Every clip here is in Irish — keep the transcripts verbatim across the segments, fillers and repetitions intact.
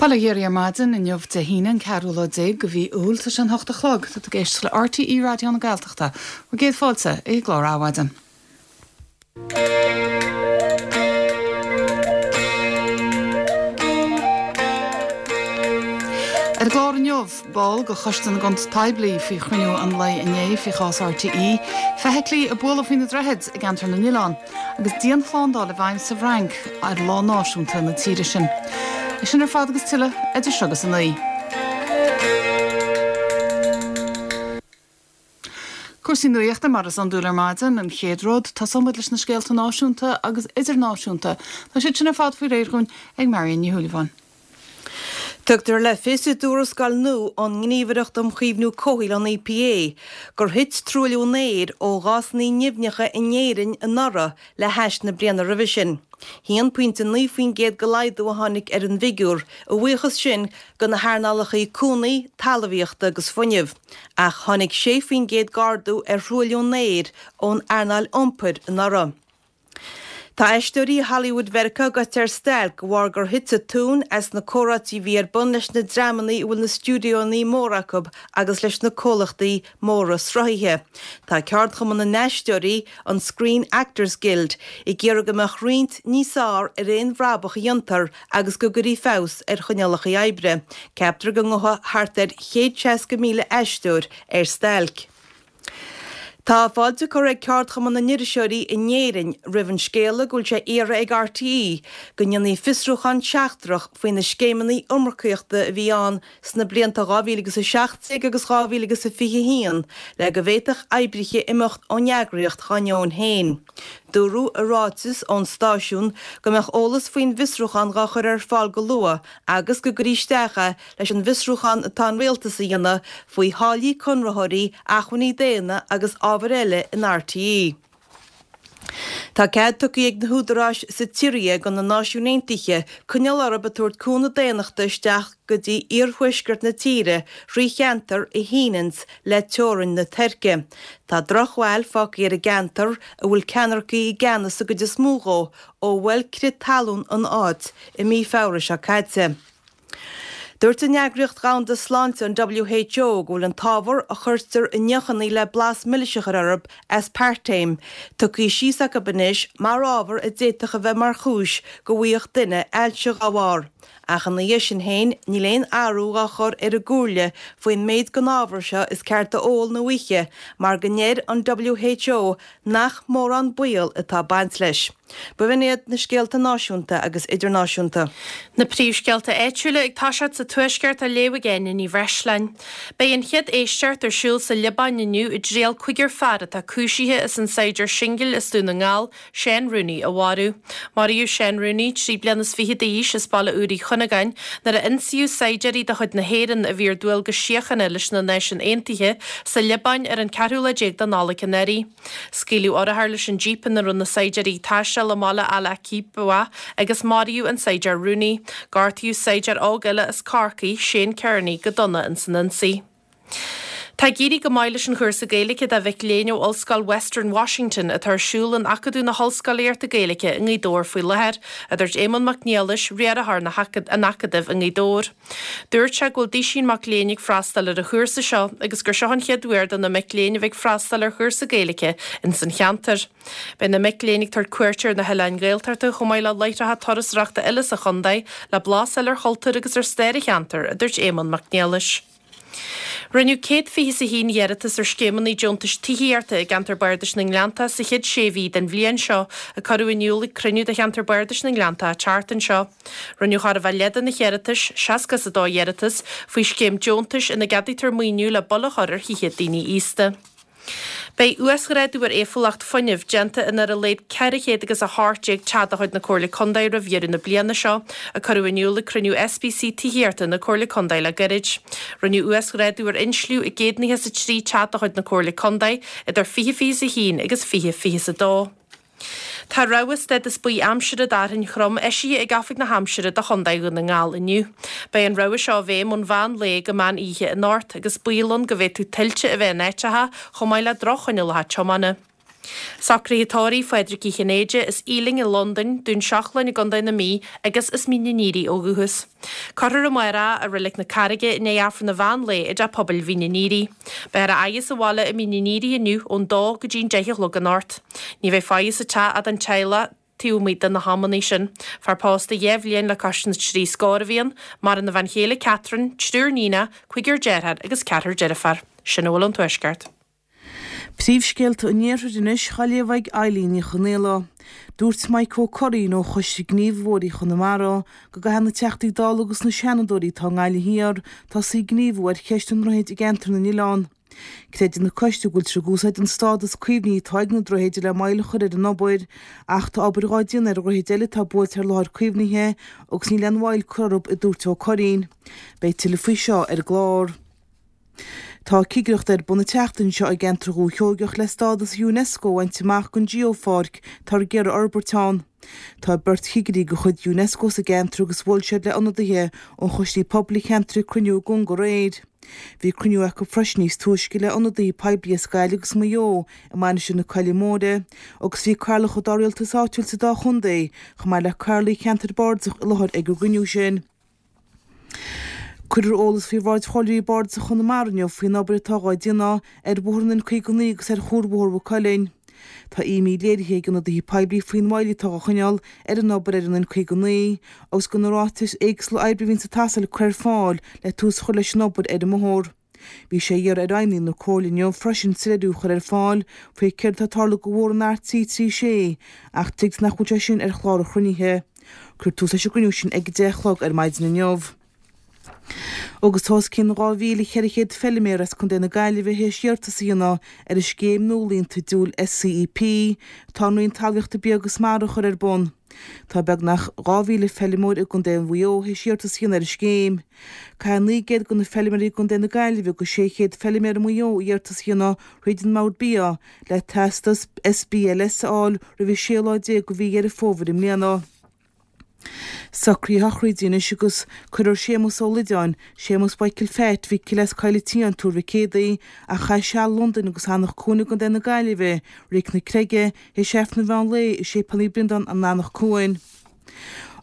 Bail ó Dhia oraibh ar maidin inniu Dé hAoine an ceathrú lá déag de mhí Iúil tá sé an hocht a chlog tá tú ag éisteacht le RTÉ Raidió na Gaeltachta bhur gcéad fáilte i gclár Adhmhaidin. Ar an gclár inniu, ball de Choiste na gCuntas Poiblí faoi chruinniú an lae inné faoi chás RTÉ, feithiclí a bualadh faoi na droichid i gceantar na nOileán, agus dianshlándáil i bhfeidhm sa bhFrainc ar lá náisiúnta na tíre sin. É sin ar fad agus tuilleadh idir seo agus a naoi. Cúrsaí nuachta mar is iondúil ar maidin, an chéad rud, tosóidh muid leis na scéalta náisiúnta agus idirnáisiúnta. Tá siad sin ar fad faoi réir dhúinn ag Marion Ní Shúilleabháin. Tugtar le fios i dtuarascáil nua ón nGníomhaireacht um Chaomhnú Comhshaoil, an EPA, gur thit truailliú an aeir ó ghásanna nimhneacha in Éirinn anuraidh le hais na bliana roimhe sin. haon pointe naoi faoin gcéad de laghdú a tháinig ar an bhfigiúr, a bhuíochas sin do na hearnálacha cónaí, talmhaíochta agus fuinnimh. Ach tháinig sé faoin gcéad d'ardú ar thruailliú an aeir ón earnáil iompair anuraidh. Tá aisteoirí Hollywood Mheiriceá gaibhte ar stailc de bharr gur thit an tóin as na comhráití a bhí ar bun leis na dreamanna a bhfuil na stiúideoanna móra acu agus leis na comhlachtaí móra sruthaithe. Tá ceardchumann na n-aisteoirí, an Screen Actors Guild, ag iarraidh go mbeadh roinnt níos fearr ar aon bhrabach a dhéantar agus go gcuirfí feabhas ar choinníollacha oibre. Ceaptar go ngabhfaidh thart ar chéad seasca míle aisteoir ar stailc. Tá fáilte curtha ag Ceardchumann na nIriseoirí in Éirinn roimh an scéala go bhfuil sé iarrtha ag RTÉ go ndéanfaí fiosrúchán seachtrach faoi na scéimeanna iomarcaíochta a bhí ann sna blianta dhá mhíle agus a seacht déag agus dhá mhíle agus a fiche a haon le go bhféadfadh oibrithe imeacht ón eagraíocht dá ndeoin féin. Dúradh i ráiteas ón stáisiún go mbeadh eolas faoin bhfiosrúchán dhá chur ar fáil go luath agus go gcuirfí isteach é leis an bhfiosrúchán atá an Rialtas a dhéanamh faoi tháillí conraitheoirí, acmhainní daonna agus ábhair eile in RTÉ. Tá cead tugtha ag na húdaráis sa tSiria do na Náisiúin Aontaithe coinneáil orthu ag tabhairt cúnamh daonnachta isteach go dtí iarthuaisceart na tíre thrí cheantar a shíneanns le teorainn na Tuirce. Tá drochbhail fágtha ar an gceantar, a bhfuil ceannaircigh i gceannas sa gcuid is mó dhó, ó bhuail crith talún an áit i mí Feabhra seo caite. Dúirt an Eagraíocht Dhomhanda Sláinte, an WHO, go bhfuil an t-ábhar a chuirtear i ndeochanna le blas milis a chur orthu, aspartame, tugtha síos acu anois mar ábhar a d'fhéadfadh a bheith mar chúis go bhfaigheadh duine ailse dá bharr. Ach ina dhiaidh sin féin, níl aon athrú dhá chur ar an gcomhairle faoin méid den ábhar seo is ceart a ól nó a ithe mar go ndeir an WHO nach mórán baol atá ag baint leis. B'in iad na scéalta náisiúnta agus idirnáisiúnta. Na príomhscéalta áitiúla ag toiseacht sa Tuaisceart á léamh ag Áine Ní Bhreisleáin. Beidh an chéad éisteacht ar siúl sa Liobáin inniu i dtriail cúigear fear atá cúisithe as an saighdiúir singil as Dún na nGall, Seán Rooney, a mharú. Maraíodh Seán Rooney, trí bliana is fiche d'aois, as Baile Úr Uí Chuinneagáin, nuair a ionsaíodh saighdiúirí de chuid na hÉireann a bhí ar dualgas síochána leis na Náisiúin Aontaithe sa Liobáin ar an ceathrú lá déag de Nollaig anuraidh. Scaoileadh urchar leis an jíp ina raibh na saighdiúirí ag taisteal i mbaile Al-Aqibah agus maraíodh an saighdiúir Rooney. Gortaíodh saighdiúir óg eile as Corcaigh, Shane Kearney, go dona ins an ionsaí. Tá ag éirí go maith leis an chúrsa Gaeilge do mhic léinn ó Ollscoil Western Washington atá ar siúl in Acadamh na hOllscolaíochta Gaeilge i nGaoth Dobhair faoi láthair, a dúirt Éamonn Mac Niallais, riarthóir an Acadaimh i nGaoth Dobhair. Dúirt sé go bhfuil duisín mac léinn ag freastal ar an chúrsa seo agus gur seo an chéad uair do na mic léinn a bheith ag freastal ar chúrsa Gaeilge ins an cheantar. Beidh na mic léinn ag tabhairt cuairte ar na hoileáin Ghaeltachta chomh maith le láithreacha turasóireachta eile sa chontae le blas a fháil ar chultúr agus ar stair an cheantair, a dúirt Éamonn Mac Niallais. Rinneadh céad fiche is a haon iarratas ar scéimeanna deontais tithíochta i gceantar Bardais na nGleanntach sa chéad sé mhí den bhliain seo, a cuireadh in iúl ag cruinniú de cheantar Bardais na nGleanntach an tseachtain seo. Rinneadh chóir a bheith leath de na hiarratais, seasca is a dó iarratas, faoi scéim deontais ina gceadaítear maoiniú le bail a chur ar thithe daoine aosta. Beidh uasghrádú ar éifeachtúlacht fuinnimh déanta in ar a laghad ceithre chéad agus a hocht déag teach de chuid na Comhairle Contae roimh dheireadh na bliana seo, a cuireadh in iúl ag cruinniú SBC Tithíochta na Comhairle Contae le gairid. Rinneadh uasghrádú ar insliú i gcéad nócha is a trí teach de chuid na Comhairle Contae idir fiche fiche is a haon agus fiche fiche is a dó. Tá rabhadh stádas buí aimsire d'fhearthainn throm eisithe ag Oifig na hAimsire do Chontae Dhún na nGall inniu. Beidh an rabhadh seo i bhfeidhm ón mheán lae go meán oíche anocht agus baol ann go bhféadfadh tuilte a bheith in áiteacha chomh maith le droch-choinníollacha tiomána. Socruithe tórraimh Phádraic Uí Chinnéide as Ealing i Londain, Dún Seachlainn i gContae na Mí agus as Mín an Aoraigh ó dhúchas. Cuirfear amárach é i Reilig na Carraige i ndiaidh Aifreann an mheán lae i dTeach Pobail Mhín an Aoraigh. Beifear á fhaire sa bhaile i Mín an Aoraigh inniu ón dó go dtí an deich a chlog anocht. Ní bheidh faire sa teach ach don teaghlach taobh amuigh de na hamanna sin. Fear pósta dhá bhliain le cois na trí scór a bhí ann, maireann a bhean chéile Catherine, triúr níonacha, cúigear dearthár agus ceathrar deirféar. Sin a bhfuil ón Tuaisceart. Príomhscéalta an Iarthair anois á léamh ag Eileen Ní Chonaola. Dúirt Mike Ó Curraoin ó Choiste Gníomhaitheoirí Chonamara go gcaithfidh na Teachtaí Dála agus na Seanadóirí atá i nGaillimh Thiar tosaí ag gníomhú ar cheist na ndroichead i gceantar na n-oileán. Creideann an coiste go bhfuiltear ag úsáid an stádas caomhnaithe atá ag na droichid le moill a chur ar an obair, ach tá obair dhá déanamh ar dhroichid eile atá buailte ar láthair caomhnaithe agus níl aon mhoill curtha orthu, a dúirt Ó Curraoin. Beidh tuilleadh faoi seo ar an gclár. Tá cigireacht ar bun an tseachtain seo i gceantar Dhúiche Sheoigeach le stádas Unesco a bhaint amach don Geopháirc atá ag iarraidh a fhorbairt ann. Tá beirt chigirí de chuid Unesco sa gceantar agus bhuail siad le ionadaithe ó choistí pobail an cheantair ag cruinniú i gConga aréir. Bhí cruinniú acu freisin níos túisce le ionadaithe poiblí as Gaillimh agus Maigh Eo i Mainistir na Coille Móire agus bhí cathaoirleacha dá rialtas áitiúil sa dá chontae chomh maith le cathaoirligh cheantar bardasach i láthair ag an gcruinniú sin. Cuirfear eolas faoi bhráid Chomhairleoirí Bardasach Chonamara inniu faoin obair atá dhá déanamh ar bhóthar an N caoga naoi agus ar Chuarbhóthar Mhaigh Cuilinn. Tá imní léirithe ag ionadaithe poiblí faoin mhoill atá á choinneáil ar an obair ar an N caoga naoi agus go na ráitis éagsúla oibre a bhíonn ag teastáil a chur ar fáil le tús a chur leis an obair ar an mbóthar. Bhí sé á iarraidh ar fheidhmeannaigh na Comhairle inniu freisin soiléiriú a chur ar fáil faoi céard atá ag tarlú do bhóthar an R trí trí sé ach tuigtear nach bhfuil sé sin ar chlár an chruinnithe. Cuirfear tús leis an gcruinniú sin ag a deich a chlog ar maidin inniu. Agus tá os cionn dhá mhíle cheithre chéad feiliméar as Contae na Gaillimhe théis iarratas a dhéanamh ar an scéim nua líonta diúil SCEP atá an Roinn Talmhaíochta Bia agus Mara a chur ar bun. Tá beagnach dhá mhíle feilimeoir i gContae Mhaigh Eo théis iarratas a dhéanamh ar an scéim. Caithfidh naoi gcéad de na feiliméaraí i gContae na Gaillimhe agus sé chéad feiliméar i Maigh Eo iarratas a dhéanamh thríd an mBord Bia le teastas SBLS a fháil roimh an séú lá déag de mhí Dheireadh Fómhair i mbliana. Socruithe sochraide anois agus cuirfear Séamus Ó Loideáin, Séamus Mhichael Phat Mhicil as Coill an tSiáin, Tuar Mhic Éadaigh, a chaith seal i Londain agus Eanach Cuain i gContae na Gaillimhe, Reilig na Creige, théis Aifreann an mheán lae i Séipéal Naomh Breandán in Eanach Cuain.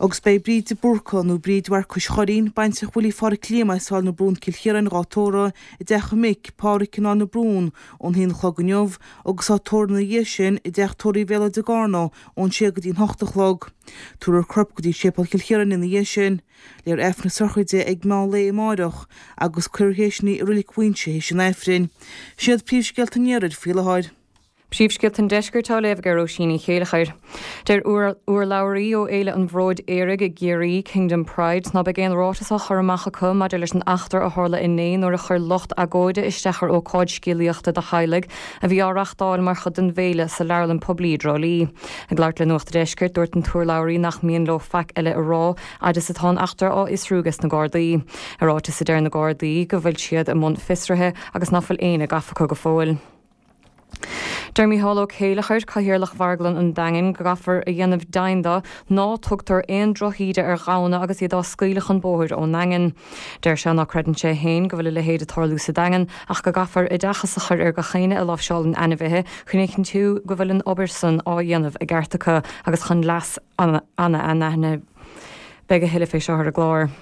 Agus beidh Bríd de Búrca, nó Bríd Mharcais Churraoin, baintreach Willie Pháraic Liam as Áill na Brún, Cill Chiaráin, dhá tórramh i dteach a mic, Páraic in Áill na Brún, ón haon a chlog inniu, agus á tórramh ina dhiaidh sin i dteach tórraimh Bhéal Átha de Gárna ón sé go dtí an hocht a chlog. Tabharfar a corp go dtí Séipéal Chill Chiaráin ina dhiaidh sin. Léifear Aifreann na sochraide ag meán lae amáireach agus cuirfear théis sin í i Reilig Mhuinseo théis an Aifrinn. Sin iad príomhscéalta an Iarthair faoi láthair. Príomhscéalta an Deiscirt á léamh ag Róisín Ní Chéilleachair. Deir urlabhraí ó Fhéile an Bhróid Aeraigh i gCiarraí, Kingdom Pride, ná beidh aon ráiteas á chur amach acu maidir leis an eachtra a tharla inné nuair a chuir lucht agóide isteach ar ócáid scéalaíochta do theaghlaigh a bhí á reáchtáil mar chuid den bhféile sa leabharlann poiblí i dTrá Lí. Ag labhairt le Nuacht an Deiscirt, dúirt an t-urlabhraí nach mian leo faic eile a rá fhad is atá an eachtra á fhiosrú ages na Gardaí. I ráiteas a deir na Gardaí go bhfuil siad i mbun fiosraithe agus nach bhfuil éinne gafa acu go fóill. Deir Mícheál Ó Céilleachair, Cathaoirleach Mharglann an Daingin, go gcaithfear a dhéanamh deimhin de ná tugtar aon drochíde ar ghamhna agus iad á scaoileadh chun bóthair ón nDaingean. Deir sé ná creideann sé féin go bhfuil a leithéid ag tarlú sa Daingean ach go gcaithfear oideachas a chur ar gach éinne a láimhseálann ainmhithe chun a chinntiú go bhfuil an obair san á dhéanamh i gceart acu agus chun leas an ainmhithe. Beidh a thuilleadh fé seo ar an gclár.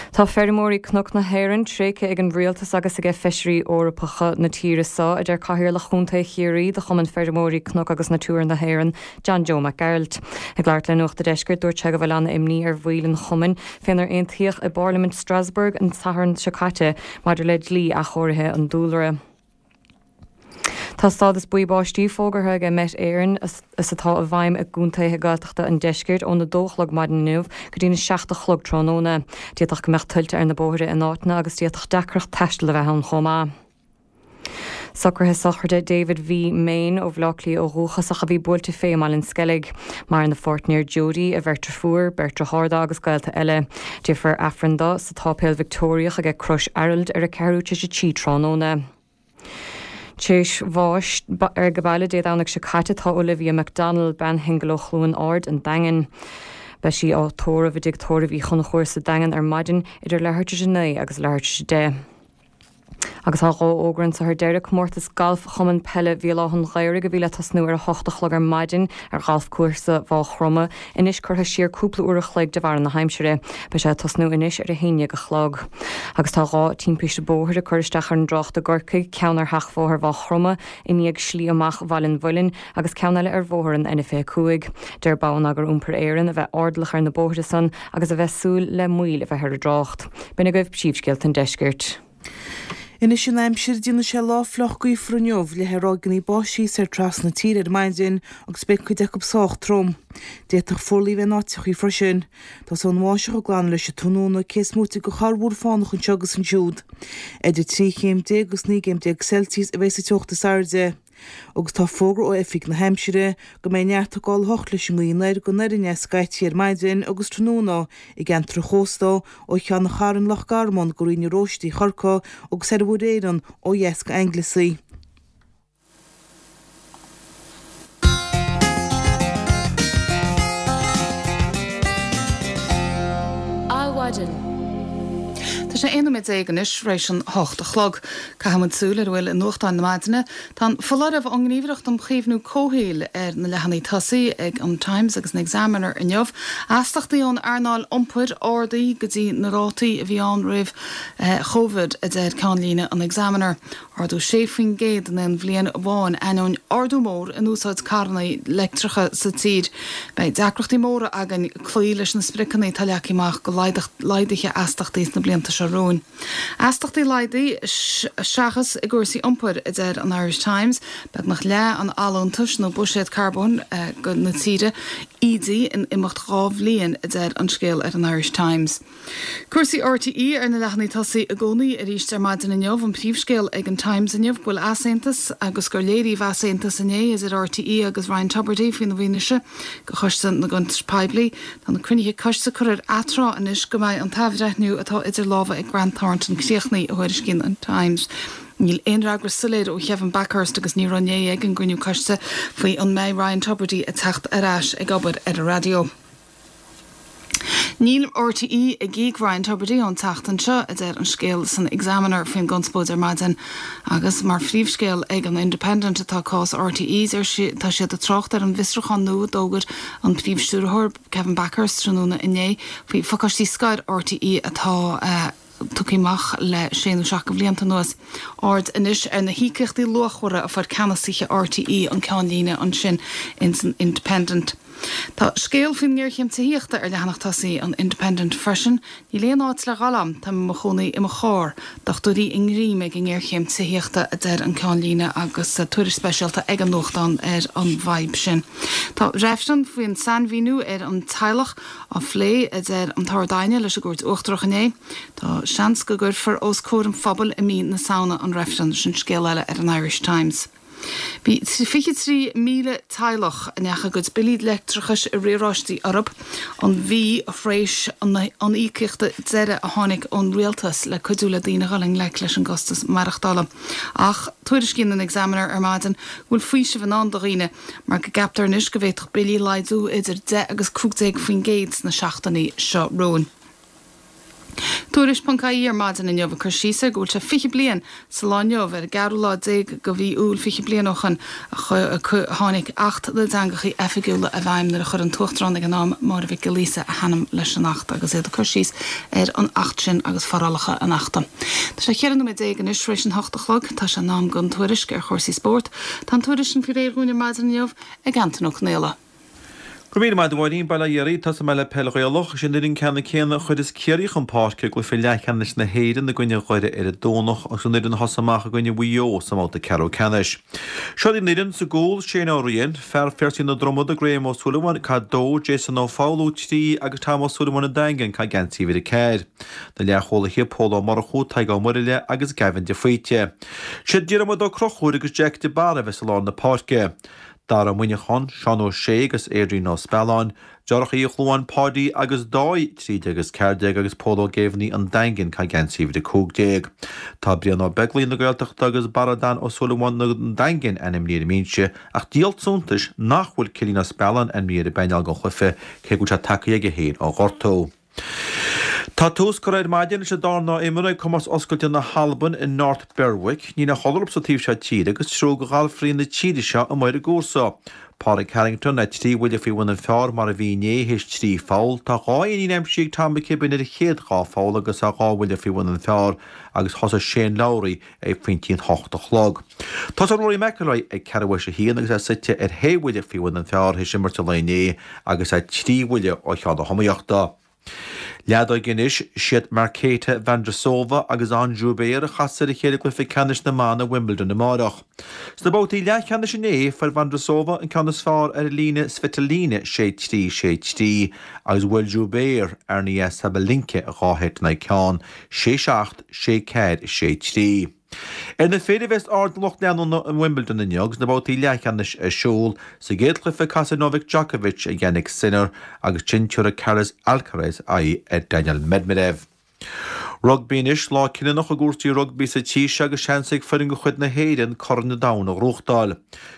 Tá feirmeoirí Cnoc na hÉireann tréigthe ag an rialtas agus ag feisirí Eorpacha na tíre seo, a deir Cathaoirleach Chontae Chiarraí de Chumann Feirmeoirí Cnoc agus Natura na hÉireann, John Joe Mac Gearailt. Ag labhairt le Nuacht an Deiscirt, dúirt sé go bhfuil an-imní ar bhaill an chumainn fénar aontaíodh i bParlaimint Strasbourg an Satharn seo caite maidir le dlí athchóirithe an dúlra. Tá stádas buí báistí fógartha ag Met Éireann is atá i bhfeidhm i gcontaetha Gaeltachta an Deiscirt óna dó a chlog maidin inniu go dtína seacht a chlog tráthnóna. D'fhéadfadh go mbeadh tuilte ar na bóithre in áiteanna agus d'fhéadfadh deacracht taistil a bheith ann chomh maith. Socruithe sochraide David V. Main ó Bhaile Átha Cliath ó dhúchas ach a bhí buailte fé i mBaile an Sceilg. Maireann a pháirtnéir Jodie, a bheirt deirfiúr, beirt dearthár agus gaolta eile. Déanfar Aifreann dó sa tSáipéal Victeoiriach aige Crois Araild ar a ceathrú tar éis a trí tráthnóna. Théis bháis ag baile Dé Domhnaigh seo caite tá Olivia McDonnell, bean shingil ó Chluain Ard an Daingean. Beidh sí á tórramh i dtigh tórraimh Uí Chonchúir sa Daingean ar maidin idir leathuair tar éis a naoi agus leathuair tar éis a deich. Agus tá dhá fhógra anseo ar deireadh comórtas galf Chumann Peile Bhéal Átha an Ghaorthaidh a bhí le tosnú ar a hocht a chlog ar maidin ar ghalfchúrsa Mhaigh Chromtha, anois curtha siar cúpla uair a chloig de bharr na haimsire. Beidh sé ag tosnú anois ar a haon déag a chlog. Agus tá dhá timpiste bóthair ag cur isteach ar an dtrácht i gCorcaigh, ceann ar sheachbhóthar Mhaigh Chromtha i ndiaidh slí amach Bhaile an Mhuilinn agus ceann eile ar bhóthar an N fiche cúig. Deir Bonneagar Iompair Éireann a bheith airdeallach ar na bóithre san agus a bheith súil le moill a bheith ar an dtrácht. B'in agaibh príomhscéalta an deiscirt. Anois an aimsir, déanfaidh sé lá fliuch gaofar inniu le ráigeanna báistí soir trasna na tíre ar maidin agus beidh cuid acu sách trom. D'fhéadfadh fuarlaigh a bheith in áiteachaí freisin. Tosóidh an bháisteach ag glanadh leis an tráthnóna, cé is móite de chorrmhúr fánach anseo agus ansiúd. Idir trí chéim déag agus naoi gcéim déag Celsius a bheidh sa teocht is airde. Agus tá fógra ó Oifig na hAimsire go mbeidh neart ag gabháil a hocht leis an ngaoth anoir go anoir aneas scaití ar maidin agus tráthnóna i gceantar an chósta ó Cheann an Chairn Loch Garman go Rinn na Róistí Chorcaí agus ar Mhuir Éireann ó dheas go Anglesey. Adhmhaidin. Tá sé aon nóiméad déag anois tar éis an hocht a chlog. Caithfidh muid súil ar a bhfuil i nuachtáin na maidine. Tá an foláireamh ón nGníomhaireacht um Chaomhnú Comhshaoil ar na leathanaigh tosaigh ag an Times agus an Examiner inniu. Astachtaí ón earnáil iompair ardaithe go dtí na rátaí a bhí ann roimh Covid, a deir ceannlíne an Examiner. Ardú sé faoin gcéad in aon bhliain amháin ainneoin ardú mór in úsáid carranna leictreacha sa tír. Beidh deacrachtaí móra againn cloí leis na spriocanna atá leagtha amach do laghduithe astachtaí sna blianta seo romhainn. Astachtaí laghdaithe seachas i gcúrsaí iompair, a deir an Irish Times, beagnach leath an allúntais nó buiséad carbóin na tíre ídithe in imeacht dhá bhliain, a deir an scéal ar an Irish Times. Cúrsaí RTÉ ar na leathanaigh tosaigh i gcónaí arís ar maidin inniu, an príomhscéal ag an Times inniu go bhfuil easaontas agus gur léiríodh easaontas inné idir RTÉ agus Ryan Tubridy faoina bhfianaise do Choiste na gCuntas Poiblí. Tá na cruinnithe coiste curtha ar atráth anois go mbeidh an t-athbhreithniú atá idir lámha ag Grant Thornton críochnaithe, a thuairiscíonn an Times. Níl aon fhreagra soiléir ó Kevin Bakhurst agus ní raibh inné ag an gcruinniú coiste faoi an mbeidh Ryan Tubridy ag teacht ar ais ag obair ar an raidió. Níl RTÉ ag íoc Ryan Tubridy ón tseachtain seo, a deir an scéal san Examiner faoin gconspóid ar maidin. Agus mar phríomhscéal ag an Independent atá cás RTÉ, deir tá siad ag trácht ar an bhfiosrúchán nua a d'fhógair an príomhstiúrthóir Kevin Bakhurst tráthnóna inné faoi phacáistí scoir RTÉ atá tugtha amach le sé nó seacht de bhlianta anuas. Aird anois ar na híocaíochtaí luachmhara a fuair ceannasaithe RTÉ an ceannlíne ansin ins an Independent. Tá scéal faoin ngéarchéim tithíochta ar leathanach tosaigh an Independent freisin. Níl aon áit le dhul agam, táim i mo chónaí i mo charr. Dochtúirí i ngreim ag an ngéarchéim tithíochta, a deir an ceannlíne agus tuairisc speisialta ag an nuachtán ar an bhfadhb sin. Tá reifreann faoin sainmhíniú ar an teaghlach á phlé, a deir an tArd-Aighne leis an gCúirt Uachtarach inné. Tá seans go gcuirfear os comhair an phobail i mí na Samhna an reifreann, sin scéal eile ar an Irish Times. Bhí fiche trí míle teaghlach a ndeachaigh a gcuid billí leictreachais i riaráistí orthu an mhí thréis an íocaíochta deiridh a tháinig ón rialtas le cuidiú le daoine dhul i ngleic leis an gcostas maireachtála. Ach tuairiscíonn an Examiner ar maidin go bhfuil faoiseamh i ndán do dhaoine mar go gceaptar anois go bhféadfadh billí laghdú idir deich agus cúig déag faoin gcéad sna seachtainí seo romhainn. Tuairisc ponc ie ar maidin inniu ag cur síos ar go bhfuil sé fiche bliain sa lá inniu, ar an gceathrú lá déag de mhí Iúil fiche bliain ó shoin, a tháinig Acht na dTeangachaí Oifigiúla i bhfeidhm nuair a chuir an tUachtarán ag an am, Máire Mhic Giolla Íosa, a hainm leis an Acht agus iad ag cur síos ar an Acht sin agus forálacha an Achta. Tá sé cheithre nóiméad déag anois tar éis an hocht a chlog. Tá sé in am don tuairisc ar chúrsaí spóirt. Tá an tuairisc sin faoi réir dhúinn ar maidin inniu ag Antain Ó Conaola. Go raibh míle maith agat a Mháirín, bail ó Dhia oraibh. Tosóidh mé le peil Ghaelach. Is í an fhoireann ceannann céanna a chuireas Ciarraí chun páirce i gcluiche leathcheannais na hÉireann i gcoinne Dhoire ar an Domhnach agus an fhoireann a thosaigh amach i gcoinne Mhaigh Eo sa mbabhta ceathrú ceannais. Seo í an fhoireann, sa gcúl, Shane Ó Riain, Fear Phiarsaigh na Dromad, Graham Ó Súilleabháin, Cad dó, Jason Ó Foghlú, trí, agus Tom Ó Súilleabháin an Daingean, Cad geansaí uimhir a ceathair. Na leathchúlaithe, Pól Ó Murchú, Tadhg Ó Muirthile agus Gavin de Faoite. Siad Diarmuid Ó Conchúir agus Jack de Barra a bheas i lár na páirce. Dara Ó Muineacháin, Seán Ó Sé agus Adrian Ó Spealáin, Deartháireacha Uí Chluáin, Páidí agus Dáithí, trí déag agus ceathair déag, agus Pól Ó Géibheannaigh, An Daingean, Caitheamh geansaí uimhir a cúig déag. Tá Brian Ó Beaglaoich na Gaeltachta agus Barra Dan Ó Súilleabháin na Daingin ainmnithe ar an mbinse ach díol suntais nach bhfuil Cillian Ó Spealáin ainmnithe ar an bpainéal don chluiche cé go bhfuil sé tagtha aige féin ó ghortú. Tá tús curtha ar maidin leis an darna imeartha ag Comórtas Oscailte na hAlban i North Berwick. Níl aon chodladh orthu sa taobh seo tíre agus triúr de ghalfairí na tíre seo amuigh ar an gcúrsa. Pádraig Harrington le trí bhuille faoi bhun an phar mar a bhí inné théis trí pholl. Tá dhá éinín aimsithe ag Tom McKibbin ar a chéad dhá pholl agus é dhá bhuille faoi bhun an phar agus thosaigh Shane Lowry ag pointí an hocht a chlog. Tosóidh Rory McIlroy ag ceathrú théis a haon agus é suite ar shé bhuille faoi bhun an phar théis imirt an lae inné agus é trí bhuille ó cheann na hiomaíochta. Leadóg anois, siad Marketa Vondrousova agus Ons Jabeur a chasfas ar a chéile i gcluiche ceannais na mban i Wimbledon amárach. Sna babhtaí leathcheannais inné, fuair Vondrousova an ceann is fearr ar Elina Svitolina, sé trí, sé trí, agus bhuail Jabeur Aryna Sabalenka dhá sheit in aghaidh ceann, sé seacht, sé ceathair, sé trí. Ar na fir a bheas aird an lucht leanúna in Wimbledon inniu agus na babhtaí leathcheannais ar siúl, sa gcéad chluiche casfaidh Novak Djokovic ar Jannik Sinner agus ansin tabharfaidh Carlos Alcaraz aghaidh ar Daniil Medvedev. Rugbaí anois, lá cinniúnach i gcúrsaí rugbaí sa tír seo agus seans ag foireann de chuid na hÉireann Corn an Domhain a ghnóthachtáil.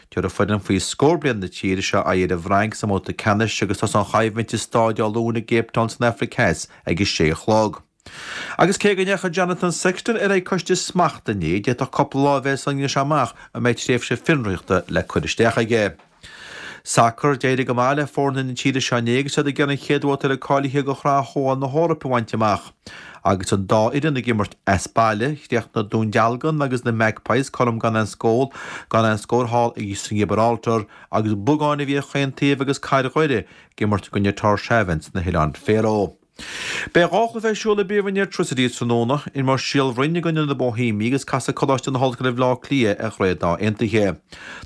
Tabharfaidh foireann faoi scór bliain na tíre seo aghaidh ar an bhFrainc sa mbabhta ceannais agus tosóidh an choimhlint i Stáid Dé Luain i gCape Town san Afraic Theas ag a sé a chlog. Agus cé go ndeachaigh Jonathan Sexton ar aghaidh coiste smachta inné, d'fhéadfadh cúpla lá a bheith sula ndéanfaidh sé amach an mbeidh tréimhse fionraíochta le cur isteach aige. Sacar, D'éirigh go maith le foirne na tíre seo inné agus iad ag iarraidh an chéad bhabhta eile cáilithe do Shraith Chomhdháil na hEorpa a bhaint amach. Agus an dá fhoireann ag imirt as baile, chríochnaigh Dún Dealgan agus na Magpies cothrom gan aon scór gan aon scór thall sa nGiobráltar agus bogáin a bhí ar chaon taobh agus Cathair Dhoire ag imirt i gcoinne Tórshavn sna hOileáin Faeró. Beidh dhá chluiche ar siúl i bPríomhroinn Airtricity tráthnóna, imreoidh Síol Bhroin i gcoinne na Boihéimigh agus casfaidh Coláiste na hOllscoile Bhaile Átha Cliath ar Dhroichead Átha Aontaithe.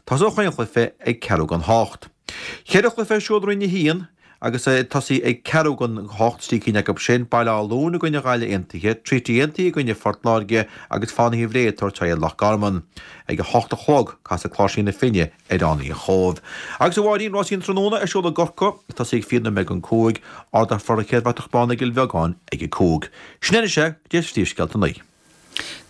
Tosóidh chaon chluiche ag ceathrú don hocht. Ceithre chluiche ar siúl i Roinn a haon agus ag tosaí ag ceathrú don hocht, trí cinn acu sin, Baile Átha Luain i gcoinne Ghaillimh Aontaithe, Treaty Aontaithe i gcoinne Phort Láirge agus Fánaithe Bhré ag tabhairt aghaidh ar Loch Garman. Ag a hocht a chlog, casfaidh Cláirsigh na Finne ar Fhánaithe an Chóibh. Agus a Mháirín, rásaí an tráthnóna ar siúl i gCorcaigh, ag tosaí ag fiche nóiméad don cúig, ardófar an chéad bhratach bán i gCill Bheagáin ag a cúig. Sin anois é, go dtí phríomhscéalta a naoi.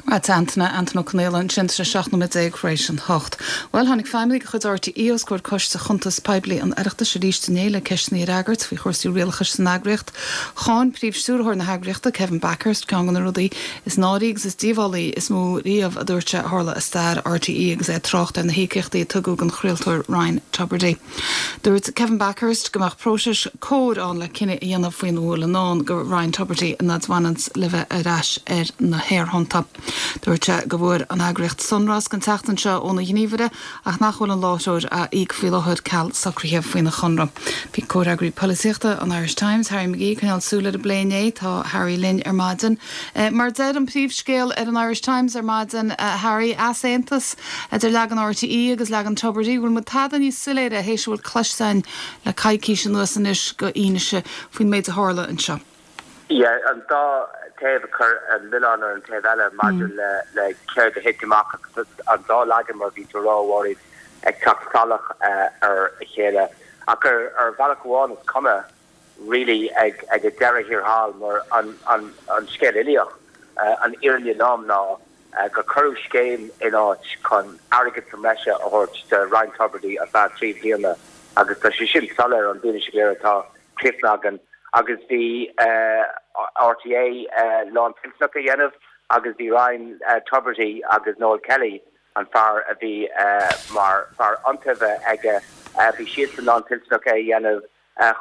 Go raibh maith agat Antaine, Antaine Ó Conaola ansin, tá sé seacht nóiméad déag tar éis an hocht. Bhuel, tháinig feidhmeannaigh de chuid RTÉ os comhair Coiste Chuntas Poiblí an Oireachtais arís inné le ceisteanna a fhreagairt faoi chúrsaí rialachais san eagraíocht. Cháin príomh-stiúrthóir na heagraíochta, Kevin Bakhurst, ceann de na rudaí is náirí agus is díobhálaí is mó riamh, a dúirt sé, a tharla i stair RTÉ agus é ag trácht ar na híocaíochtaí a tugadh don chraoltóir Ryan Tubridy. Dúirt Kevin Bakhurst go mbeadh próiseas cóir ann le cinneadh a dhéanamh faoina bhfuil i ndán do Ryan Tubridy an fhad a bhaineanns le bheith ar ais ar na haerthonnta. Dúirt sé go bhfuair an eagraíocht sonrasc an tseachtain seo óna ghníomhaire ach nach bhfuil an láithreoir á íoc faoi láthair ceal socruithe faoina chonradh. Bhí comhfhreagraí polaitíochta an Irish Times, Harry McGee, ag coinneáil súil ar an bplé inné. Tá Harry linn ar maidin. Mar a deir an príomhscéal ar an Irish Times ar maidin, Harry, easaontas idir leagan RTÉ agus leagan Tubridy, bhfuil muid tada níos soiléire théis a bhfuil cloiste againn le coicís anuas anois d'fhianaise faoin méid a tharla anseo? Yeah, an dá taobh ag cur an milleán ar an taobh eile maidir le le céard a thit amach agus an dá leagan mar bhí tú a rá, a Mháirín, ag teacht salach ar a chéile. Ach ar ar bhealach amháin is cuma really ag ag an deireadh thiar thall mar an an an scéal uilíoch, an fhírinne lom ná gur cuireadh scéim in áit chun airgead sa mbreise a thabhairt do Ryan Tubridy ar feadh trí bliana agus tá sé sin soiléir ón bhfianaise go léir atá cloiste againn agus bhí RTÉ lántoilteanach a dhéanamh agus bhí Ryan Tubridy agus Noel Kelly, an fear a bhí mar fear iontaoibhe aige, bhí siadsan lántoilteanach é a dhéanamh.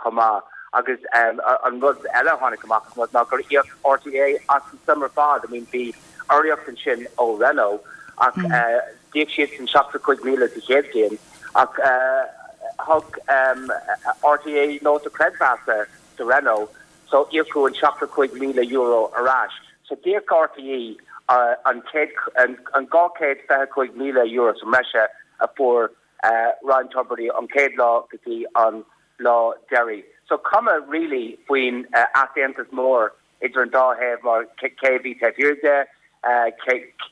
chomh maith. Agus an rud eile a tháinig amach as ná gur íoc RTÉ as an suim ar fad. I mean bhí urraíocht ansin ó Renault ach d'íoc siadsan seachtó cúig míle sa chéad bhliain ach thug RTÉ nóta creidmheasa do Renault so íocadh an seachtó cúig míle euro ar ais. So d'íoc RTÉ an céad an dhá chéad fiche cúig míle euro sa mbreise a fuair Ryan Tubridy an chéad lá go dtí an lá deiridh. So cuma really faoin easaontas mór idir an dá thaobh mar cé a bhí taobh thiar de,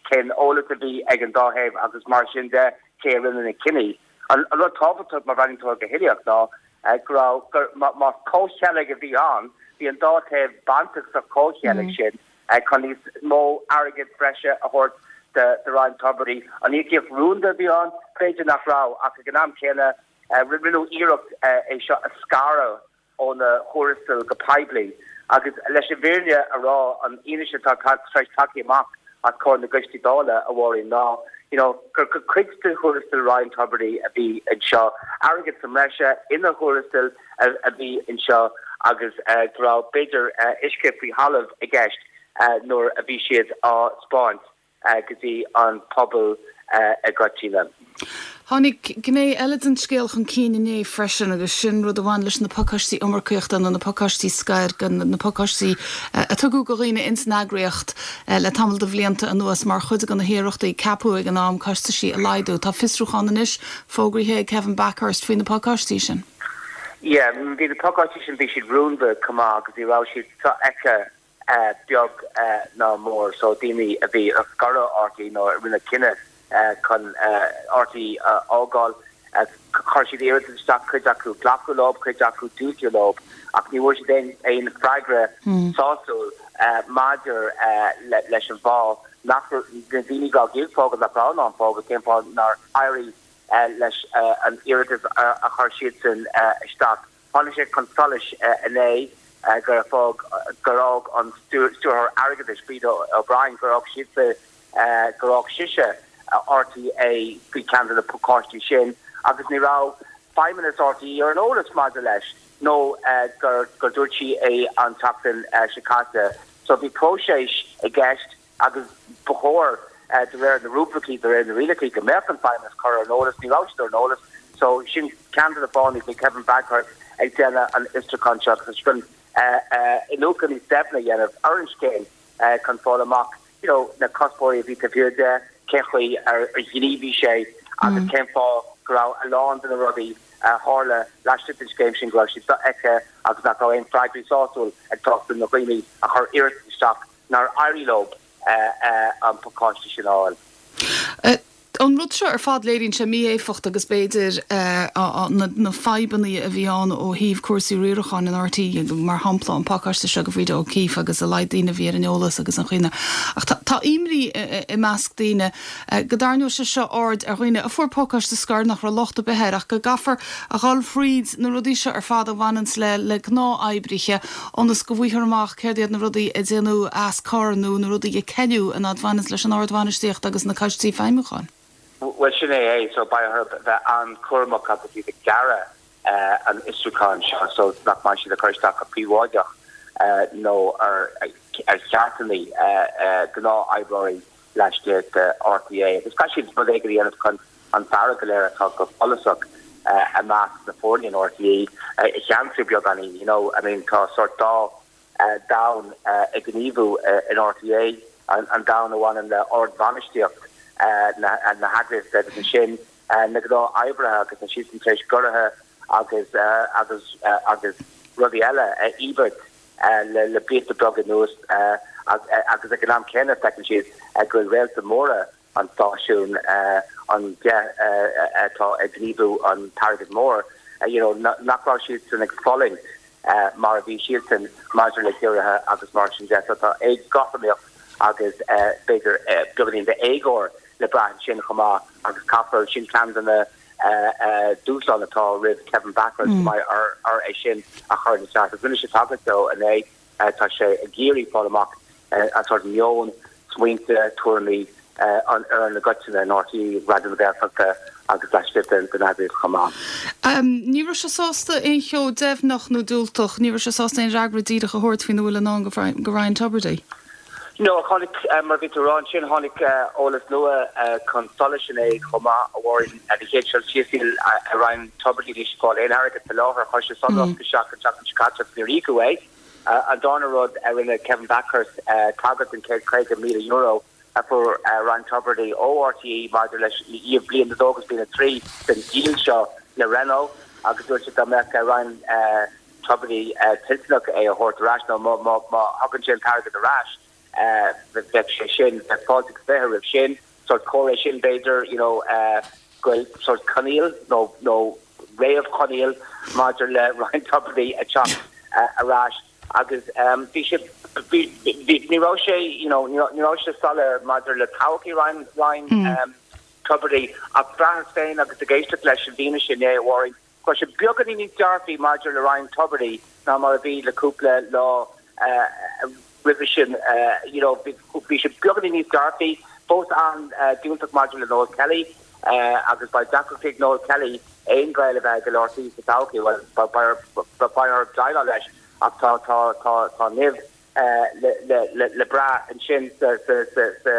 cén eolas a bhí ag an dá thaobh agus mar sin de, cé a rinne na cinní. An rud tábhachtach má bhreathnaíonn tú air go huilíoch ná go raibh, gur, más comhcheilg a bhí ann, bhí an dá taobh bainteach sa chomhcheilg sin chun níos mó airgid bhreise a thabhairt do Ryan Tubridy. An íocaíocht rúnda a bhí ann? B'fhéidir nach raibh ach ag an am céanna, Rinneadh iarracht é seo a scaradh óna thuarastail go poiblí Agus leis an bhfírinne a rá, an fhianaise atá tar éis teacht amach as comhair na gcoistí Dála, a Mháirín, ná you know, gur cuid de thuarastal Ryan Tubridy a bhí anseo, airgead sa mbreise ina thuarastal a bhí anseo agus go raibh b'fhéidir uisce faoi thalamh i gceist nuair a bhí siad á spáint go dtí an pobal i gcoitinne. Tháinig gné eile den scéal chun cinn inné freisin agus sin rud a bhain leis na pacáistí iomarcaíochta nó na pacáistí scoir, na pacáistí a tugadh do dhaoine ins an eagraíocht le tamall de bhlianta anuas mar chuid de na hiarrachtaí ceapadh ag an am costaisí a laghdú. Tá fiosrúchán anois fógraithe ag Kevin Bakhurst faoi na pacáistí sin. Yeah, bhí na pacáistí sin, bhí siad rúnda chomh maith agus ní raibh siad sofheicthe beag ná mór, so daoine a bhí ag scaradh RTÉ nó a rinne cinneadh chun RTÉ a fhágáil, chuir siad iarratas isteach, cuid acu glacadh leo, cuid acu diúltaíodh leo, ach ní bhfuair siad aon aon freagra sásúil maidir leis an bhfáth nach na daoine a bhí ag fágáil nach raibh in ann fágáil, cén fáth nár éirigh leis an iarratas a chuir siadsan isteach. Tháinig sé chun solais inné gur fág gur fhág an Stiúrthóir Airgeadais, Breda O'Brien, gur fhág sise gur fhág sise RTÉ faoi cheann de na pacáistí sin agus ní raibh feidhmeannas RTÉ ar an eolas maidir leis nó gur gur dúirt sí é an tseachtain seo caite. So bhí próiseas i gceist agus ba chóir de réir na rúibricí, de réir na rialacha go mbeadh an feidhmeannas curtha ar an eolas, ní raibh siad ar an eolas. So sin ceann de na fáthanna go bhfuil Kevin Bakhurst ag déanamh an fhiosrúcháin seo agus chun iniúchadh níos doimhne a dhéanamh ar an scéim chun fáil amach you know, na cuspóirí a bhí taobh thiar de, cén chaoi ar ghníomhaigh sé agus cén fáth go raibh a lán de na rudaí a tharla laistigh den scéim sin go raibh siad sofheicthe agus nach raibh aon freagraí sásúil ag teacht do na daoine a chuir iarratas isteach nár éirigh leo an pacáiste sin a fháil. An rud seo ar fad léiríonn sé mí-éifeacht agus b'fhéidir na fadhbanna a bhí ann ó thaobh cúrsaí riaracháin in RTÉ, mar shampla an pacáiste seo do Bhríde O'Keeffe agus a laghad daoine a bhí ar an eolas agus an chaoi. Ach tá imní i measc daoine go dtarraingeodh sé seo aird ar dhaoine a fuair pacáiste scoir nach raibh locht ar bith air ach go gcaithfear a dhul fríd na rudaí seo ar fad a bhaineanns le le gnáth-oibrithe ionas go bhfaighfear amach céard iad na rudaí a déanadh as cor nó na rudaí a ceileadh an fhad bhaineanns leis an ardbhainistíocht agus na coistí feidhmiúcháin. Bhuel, sin é é, so beidh orthu bheith an-chúramach agus iad ag dearadh an fhiosrúcháin seo so nach mbeidh siad ag cur isteach go príobháideach nó ar cheartanna gnáth-oibreoirí laistigh de RTÉ. Agus caithfidh siad rud éigin a dhéanamh chun an fearg go léir atá go follasach i measc na foirne in RTÉ a cheansú beagáinín. You know, I mean, tá sórt dá domhan ag gníomhú in RTÉ, an domhan a bhaineann le ardbhainistíocht na heagraíochta agus ansin na gnáth-oibrithe agus tá siadsan tar éis giorruithe agus agus agus rudaí eile a íobairt le blianta beaga anuas agus ag an am céanna feiceann siad go bhfuil réalta móra an stáisiún, an deich atá ag gníomhú an t-airgead mór, you know, nach raibh siadsan ag fulaingt mar a bhí siadsan maidir le giorruithe agus mar sin de. So tá éagothromaíocht agus b'fhéidir beagáinín d'éagóir le brath ansin chomh maith agus caithfear, sin ceann de na dúshláin atá roimh Kevin Bakhurst go mbeidh air é sin a chur ina cheart. Agus rinne sé tagairt dó inné, tá sé ag iarraidh fáil amach an sórt meon, smaointe, tuairimí an fhoireann i gcoitinne in RTÉ, Raidió na Gaeltachta agus laistigh den eagraíocht chomh maith. Ní raibh sé sásta aon cheo deimhneach nó diúltach, ní raibh sé sásta aon fhreagra díreach a thabhairt faoina bhfuil i ndán do Ryan Tubridy. No, tháinig, mar a bhí tú a rá ansin, tháinig eolas nua chun solais inné chomh maith, a Mháirín. Ar an chéad dul síos, níl Ryan Tubridy anois ag fáil aon airgead faoi láthair. Chuir sé sonrasc isteach an tseachtain seo caite agus níor íocadh é. An darna rud a rinne Kevin Bakhurst tagairt don céad caoga míle euro a fuair Ryan Tubridy ó RTÉ maidir leis bliain a dó agus bliain a trí den díol seo le Renault agus dúirt sé dá mbeadh Ryan Tubridy toilteanach é a thabhairt ar ais nó má thugann sé an t-airgead ar ais bheadh sé sin, bheadh fáilte agus fiche roimh sin. Sórt comhartha é sin b'fhéidir you know go bhfuil sórt coinníoll nó nó réamhchoinníoll maidir le Ryan Tubridy a teacht ar ais agus bhí sé bhí bhí ní raibh sé you know ní raibh sé soiléir maidir le todhchaí Ryan Ryan Tubridy ach bhraitheas féin agus ag éisteacht leis an bhfianaise inné a Mháirín go raibh sé beagáinín níos dearfaí maidir le Ryan Tubridy ná mar a bhí le cúpla lá roimhe sin, you know, bhí sé beagáinín níos dearfaí, fós an-diúltach maidir le Noel Kelly agus beidh deacracht ag Noel Kelly aon ghaol a bheith aige le RTÉ sa todhchaí, bhuel, beidh orthu déileáil leis ach tá, tá, tá, tá nimh le, le, le brath ansin sa, sa, sa, sa,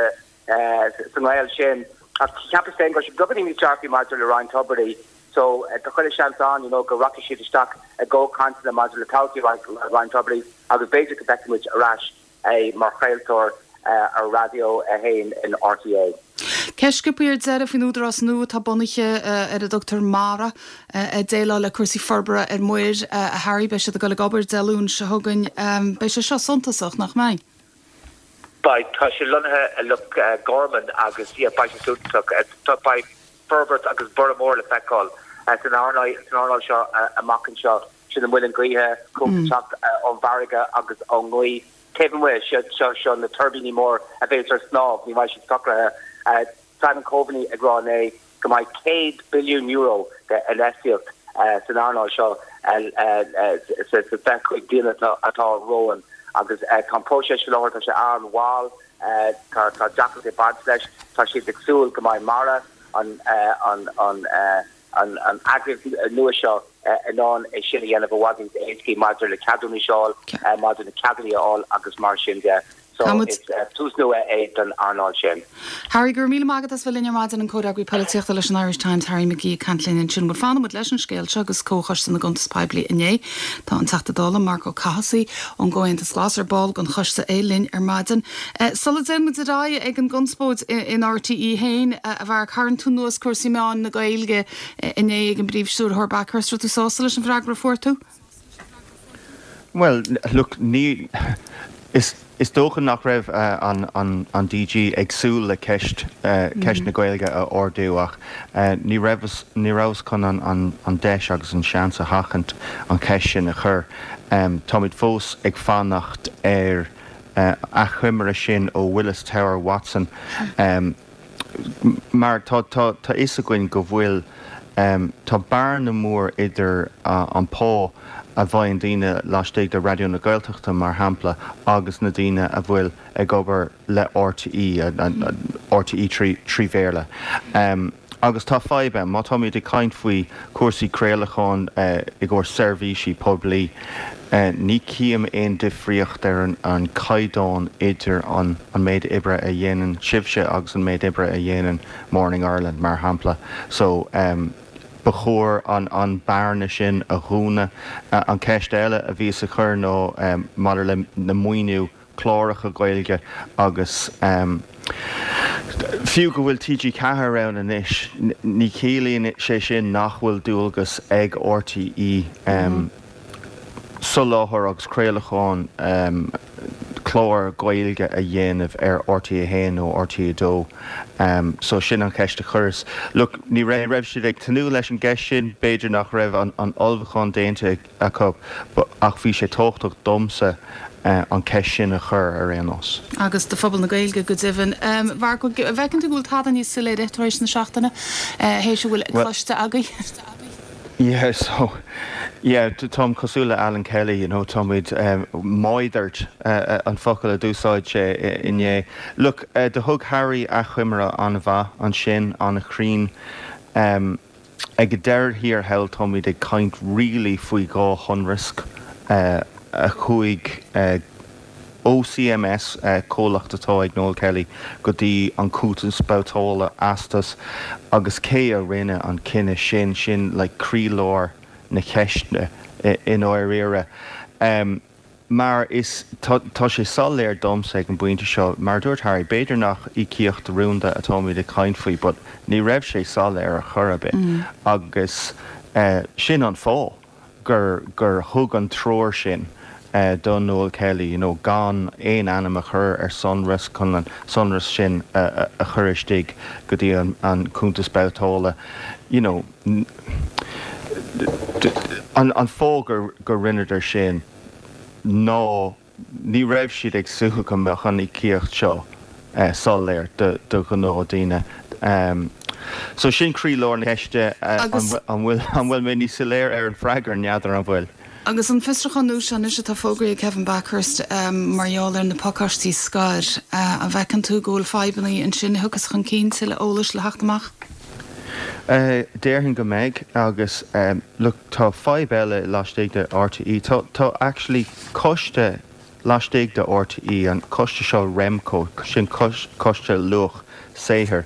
sa ngaol sin. Ach cheapas féin go raibh sé beagáinín níos dearfaí maidir le Ryan Tubridy so tá chuile seans ann, you know, go rachaidh siad isteach i gcomhchainteanna maidir le todhchaí Ryan Tubridy agus b'fhéidir go bhfeicfidh muid ar ais é mar chraoltóir ar Raidió a haon in RTÉ. Ceist sciobtha ar deireadh faoin údarás nua atá bunaithe ar a dtugtar MARA ag déileáil le cúrsaí forbartha ar muir, a Harry. Beidh siad ag dul ag obair Dé Luain seo chugainn. Beidh sé seo suntasach, nach mbeidh? Beidh. Tá sé lonnaithe i Loch Garman agus yeah beidh sé suntasach. Beidh forbairt agus borradh mór le feiceáil san earnáil seo amach anseo. Sin na muilinn gaoithe, cumhacht ag teacht ón bhfarraige agus ón ngaoth. Taobh amuigh, seo seo na tuirbíní mór a bhéas ar snámh, ní bheidh siad socraithe. Simon Coveney ag rá inné go mbeidh céad billiún euro de infheistíocht san earnáil seo sa fiche cúig bliana atá romhainn agus tá an próiseas faoi láthair, tá sé an-mhall, tá deacrachtaí ag baint leis, tá siad ag súil go mbeidh MARA, an an an an eagraíocht nua seo in ann é sin a dhéanamh i bhfad níos éascaí maidir le ceadúnais a fháil, maidir le ceadanna a fháil agus mar sin de. So is tús nua é don earnáil sin. Harry, go raibh míle maith agat as bheith linn ar maidin, an Comhfhreagraí Polaitíochta leis an Irish Times, Harry McGee ag caint linn ansin. Bhuel, fanfaidh muid leis an scéal seo agus Comhchoiste na gCuntas Poiblí inné. Tá an Teachta Dála Marc Ó Cathasaigh ón gComhaontas Glas, ar ball den choiste é, linn ar maidin. Sula dtéann muid ar aghaidh ag an gconspóid in RTÉ féin, a Mharc, tharraing tú anuas cúrsaí meáin na Gaeilge inné ag an bPríomh-Stiúrthóir Bakhurst. Raibh tú sásta leis an bhfreagra a fuair tú? Bhuel, look, ní, is, is dócha nach raibh an, an, an DG ag súil le ceist, ceist na Gaeilge a ardú ach ní raibh, ní rabhas chun an, an, an deis agus an seans a sheachaint an cheist sin a chur. Táimid fós ag fanacht ar achoimre sin ó Willis Tower Watson mar tá, tá, tá fhios againn go bhfuil, tá bearna mór idir an pá a bhfaigheann daoine laistigh de Raidió na Gaeltachta, mar shampla, agus na daoine a bhfuil ag obair le RTÉ, RTÉ trí, trí Bhéarla. Agus tá fadhb ann, má táimid ag caint faoi chúrsaí craolacháin i gcomhair seirbhísí poiblí, ní chím aon difríocht ar an gcaighdeán idir an méid oibre a dhéanann sibhse agus an méid oibre a dhéanann Morning Ireland, mar shampla. So, ba chóir an bearna sin a dhúnadh. An cheist eile a bhíos a chur ná maidir le na maoiniú cláracha Gaeilge agus fiú go bhfuil TG Ceathair ann anois, ní chiallaíonn sé sin nach bhfuil dualgas ag RTÉ soláthar agus craolachán clár Gaeilge a dhéanamh ar RTÉ a haon nó RTÉ a dó. So sin an cheist a chuireas. Look, ní raibh siad ag tnúth leis an gceist sin, b'fhéidir nach raibh an ullmhúchán déanta acu ach bhí sé tábhachtach domsa an cheist sin a chur ar aon nós. Agus do phobal na Gaeilge go deimhin. Mharc, an bhfeiceann tú go bhfuil tada níos soiléire tar éis na seachtaine, théis a bhfuil cloiste agaibh? Yeah, so, yeah, táim cosúil le Alan Kelly, you know, táimid moithered an focal a d'úsáid sé inné. Look, do thug Harry achoimre an-mhaith ansin, an-chruinn. Ag an deireadh thiar thall táimid ag caint really faoi dhá shonrasc a chuaigh ó CMS, comhlacht atá ag Noel Kelly, go dtí an cuntas babhtála Astus agus cé a rinne an cinneadh sin, sin like croílár na ceiste i ndáiríre. Mar is tá sé soiléir domsa ag an bpointe seo, mar a dúirt Harry, b'fhéidir nach íocaíocht rúnda atáimid ag caint faoi but ní raibh sé soiléir ar chor ar bith agus sin an fáth gur gur thug an treoir sin do Noel Kelly you know gan aon ainm a chur ar sonrasc chun an sonrasc sin a chur istigh go dtí an cuntas babhtála you know an an fáth gur gur rinneadar sin ná ní raibh siad ag súil go mbeadh an íocaíocht seo soiléir do do ghnáthdhaoine. So sin croílár na ceiste, an bhfuil an bhfuil mé níos soiléire ar an bhfreagra, n'fheadar an bhfuil. Agus an fiosrúchán nua seo anois atá fógraithe ag Kevin Bakhurst mar gheall ar na pacáistí scoir, an bhfeiceann tú go bhfuil fadhbanna ansin a thiocfas chun cinn, tuilleadh eolais le theacht amach? Déarfainn go mbeidh agus look tá fadhb eile laistigh de RTÉ. Tá tá actually coiste laistigh de RTÉ, an coiste seo Remco, sin coiste luach saothair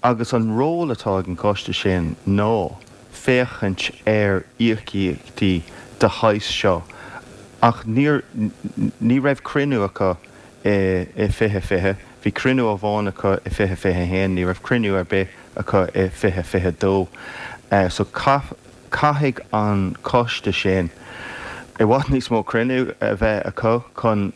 agus an ról atá ag an gcoiste sin ná féachaint ar íocaíochtaí de shaghas seo ach níor ní raibh cruinniú acu i i fiche fiche, bhí cruinniú amháin acu i fiche fiche haon, ní raibh cruinniú ar bith acu i fiche fiche dó. So caithfidh an coiste sin i bhfad níos mó cruinniú a bheith acu chun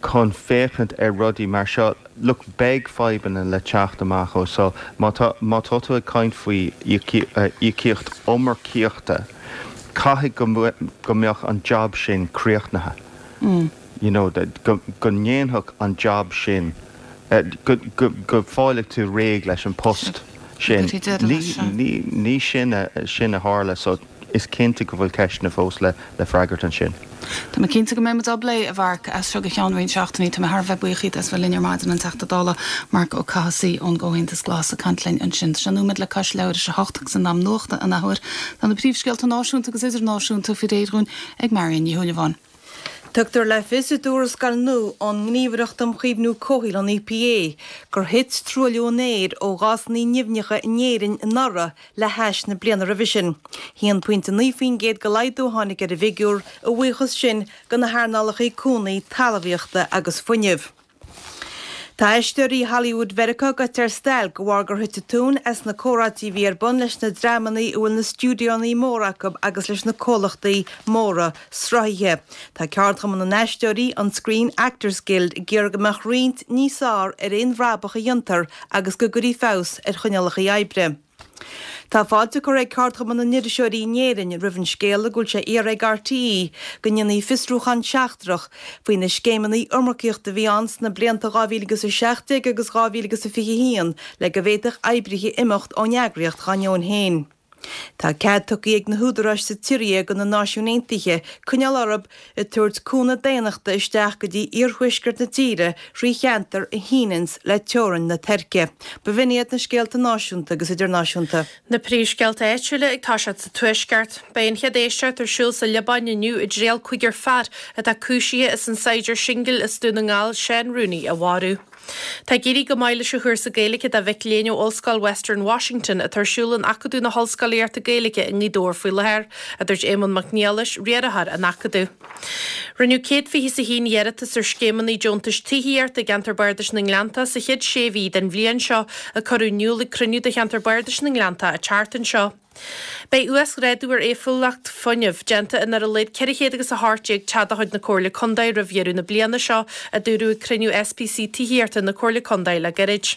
chun féachaint ar rudaí mar seo. Look, beidh fadhbanna le teacht amach ó so má tá má tá tú ag caint faoi íocaíocht iomarcaíochta, caithfidh go go mbeadh an job sin críochnaithe. You know, go go ndéanfadh an job sin go go go bhfáilfeadh tú réidh leis an post sin. Ní ní ní sin a sin a tharla so is cinnte go bhfuil ceisteanna fós le le freagairt ansin. Tá mé cinnte go mbeidh muid á bplé, a Mharc, as seo go ceann roinnt seachtainí. Tá mé thar a bheith buíoch díot as bheith linn ar maidin, an Teachta Dála Marc Ó Cathasaigh ón gComhaontas Glas ag caint linn ansin. Tá sé nóiméad le cois leathuair tar éis a hocht agus in am nuachta an athuair. Tá na príomhscéalta náisiúnta agus idirnáisiúnta faoi réir dhúinn ag Marion Ní Shúilleabháin. Tugtar le fios i dtuarascáil nua ón nGníomhaireacht um Chaomhnú Comhshaoil, an EPA, gur thit truailliú an aeir ó ghásanna nimhneacha in Éirinn anuraidh le hais na bliana roimhe sin. haon pointe naoi faoin gcéad de laghdú a tháinig ar an bhfigiúr, a bhuíochas sin do na hearnálacha cúnamh talmhaíochta agus fuinnimh. Tá aisteoirí Hollywood Mheiriceá gaibhte ar stailc de bharr gur thit an tóin as na comhráití a bhí ar bun leis na dreamanna a bhfuil na stiúideoanna móra acu agus leis na comhlachtaí móra sruthaithe. Tá ceardchumann na n-aisteoirí, an Screen Actors Guild, ag iarraidh go mbeadh roinnt níos fearr ar aon bhrabach a dhéantar agus go gcuirfí feabhas ar choinníollacha oibre. Tá fáilte curtha ag Ceardchumann na nIriseoirí in Éirinn roimh an scéala go bhfuil sé iarrtha ag RTÉ go ndéanfaí fiosrúchán seachtrach faoi na scéimeanna iomarcaíochta a bhí ann sna blianta dhá mhíle agus a seacht déag agus dhá mhíle agus a fiche a haon le go bhféadfadh oibrithe imeacht ón eagraíocht dá ndeoin féin. Tá cead tugtha ag na húdaráis sa tSiria do na Náisiúin Aontaithe coinneáil orthu ag tabhairt cúnamh daonnachta isteach go dtí iarthuaisceart na tíre thrí cheantar a shíneanns le teorainn na Tuirce. B'in iad na scéalta náisiúnta agus idirnáisiúnta. Na príomhscéalta áitiúla ag toiseacht sa Tuaisceart. Beidh an chéad éisteacht ar siúl sa Liobáin inniu i dtriail cúigear fear atá cúisithe as an saighdiúir singil as Dún na nGall, Seán Rooney, a mharú. Tá ag éirí go maith leis an chúrsa Gaeilge do mhic léinn ó Ollscoil Western Washington atá ar siúl in Acadamh na hOllscolaíochta Gaeilge i nGaoth Dobhair faoi láthair, a dúirt Éamonn Mac Niallais, riarthóir an Acadaimh. Rinneadh céad fiche is a haon iarratas ar scéimeanna deontais tithíochta i gceantar Bardais na nGleanntach sa chéad sé mhí den bhliain seo, a cuireadh in iúl ag cruinniú de cheantar Bardais na nGleanntach an tseachtain seo. Beidh uasghrádú ar éifeachtúlacht fuinnimh déanta in ar a laghad ceithre chéad agus a hocht déag teach de chuid na Comhairle Contae roimh dheireadh na bliana seo, a dúradh ag cruinniú SPC Tithíochta na Comhairle Contae le gairid.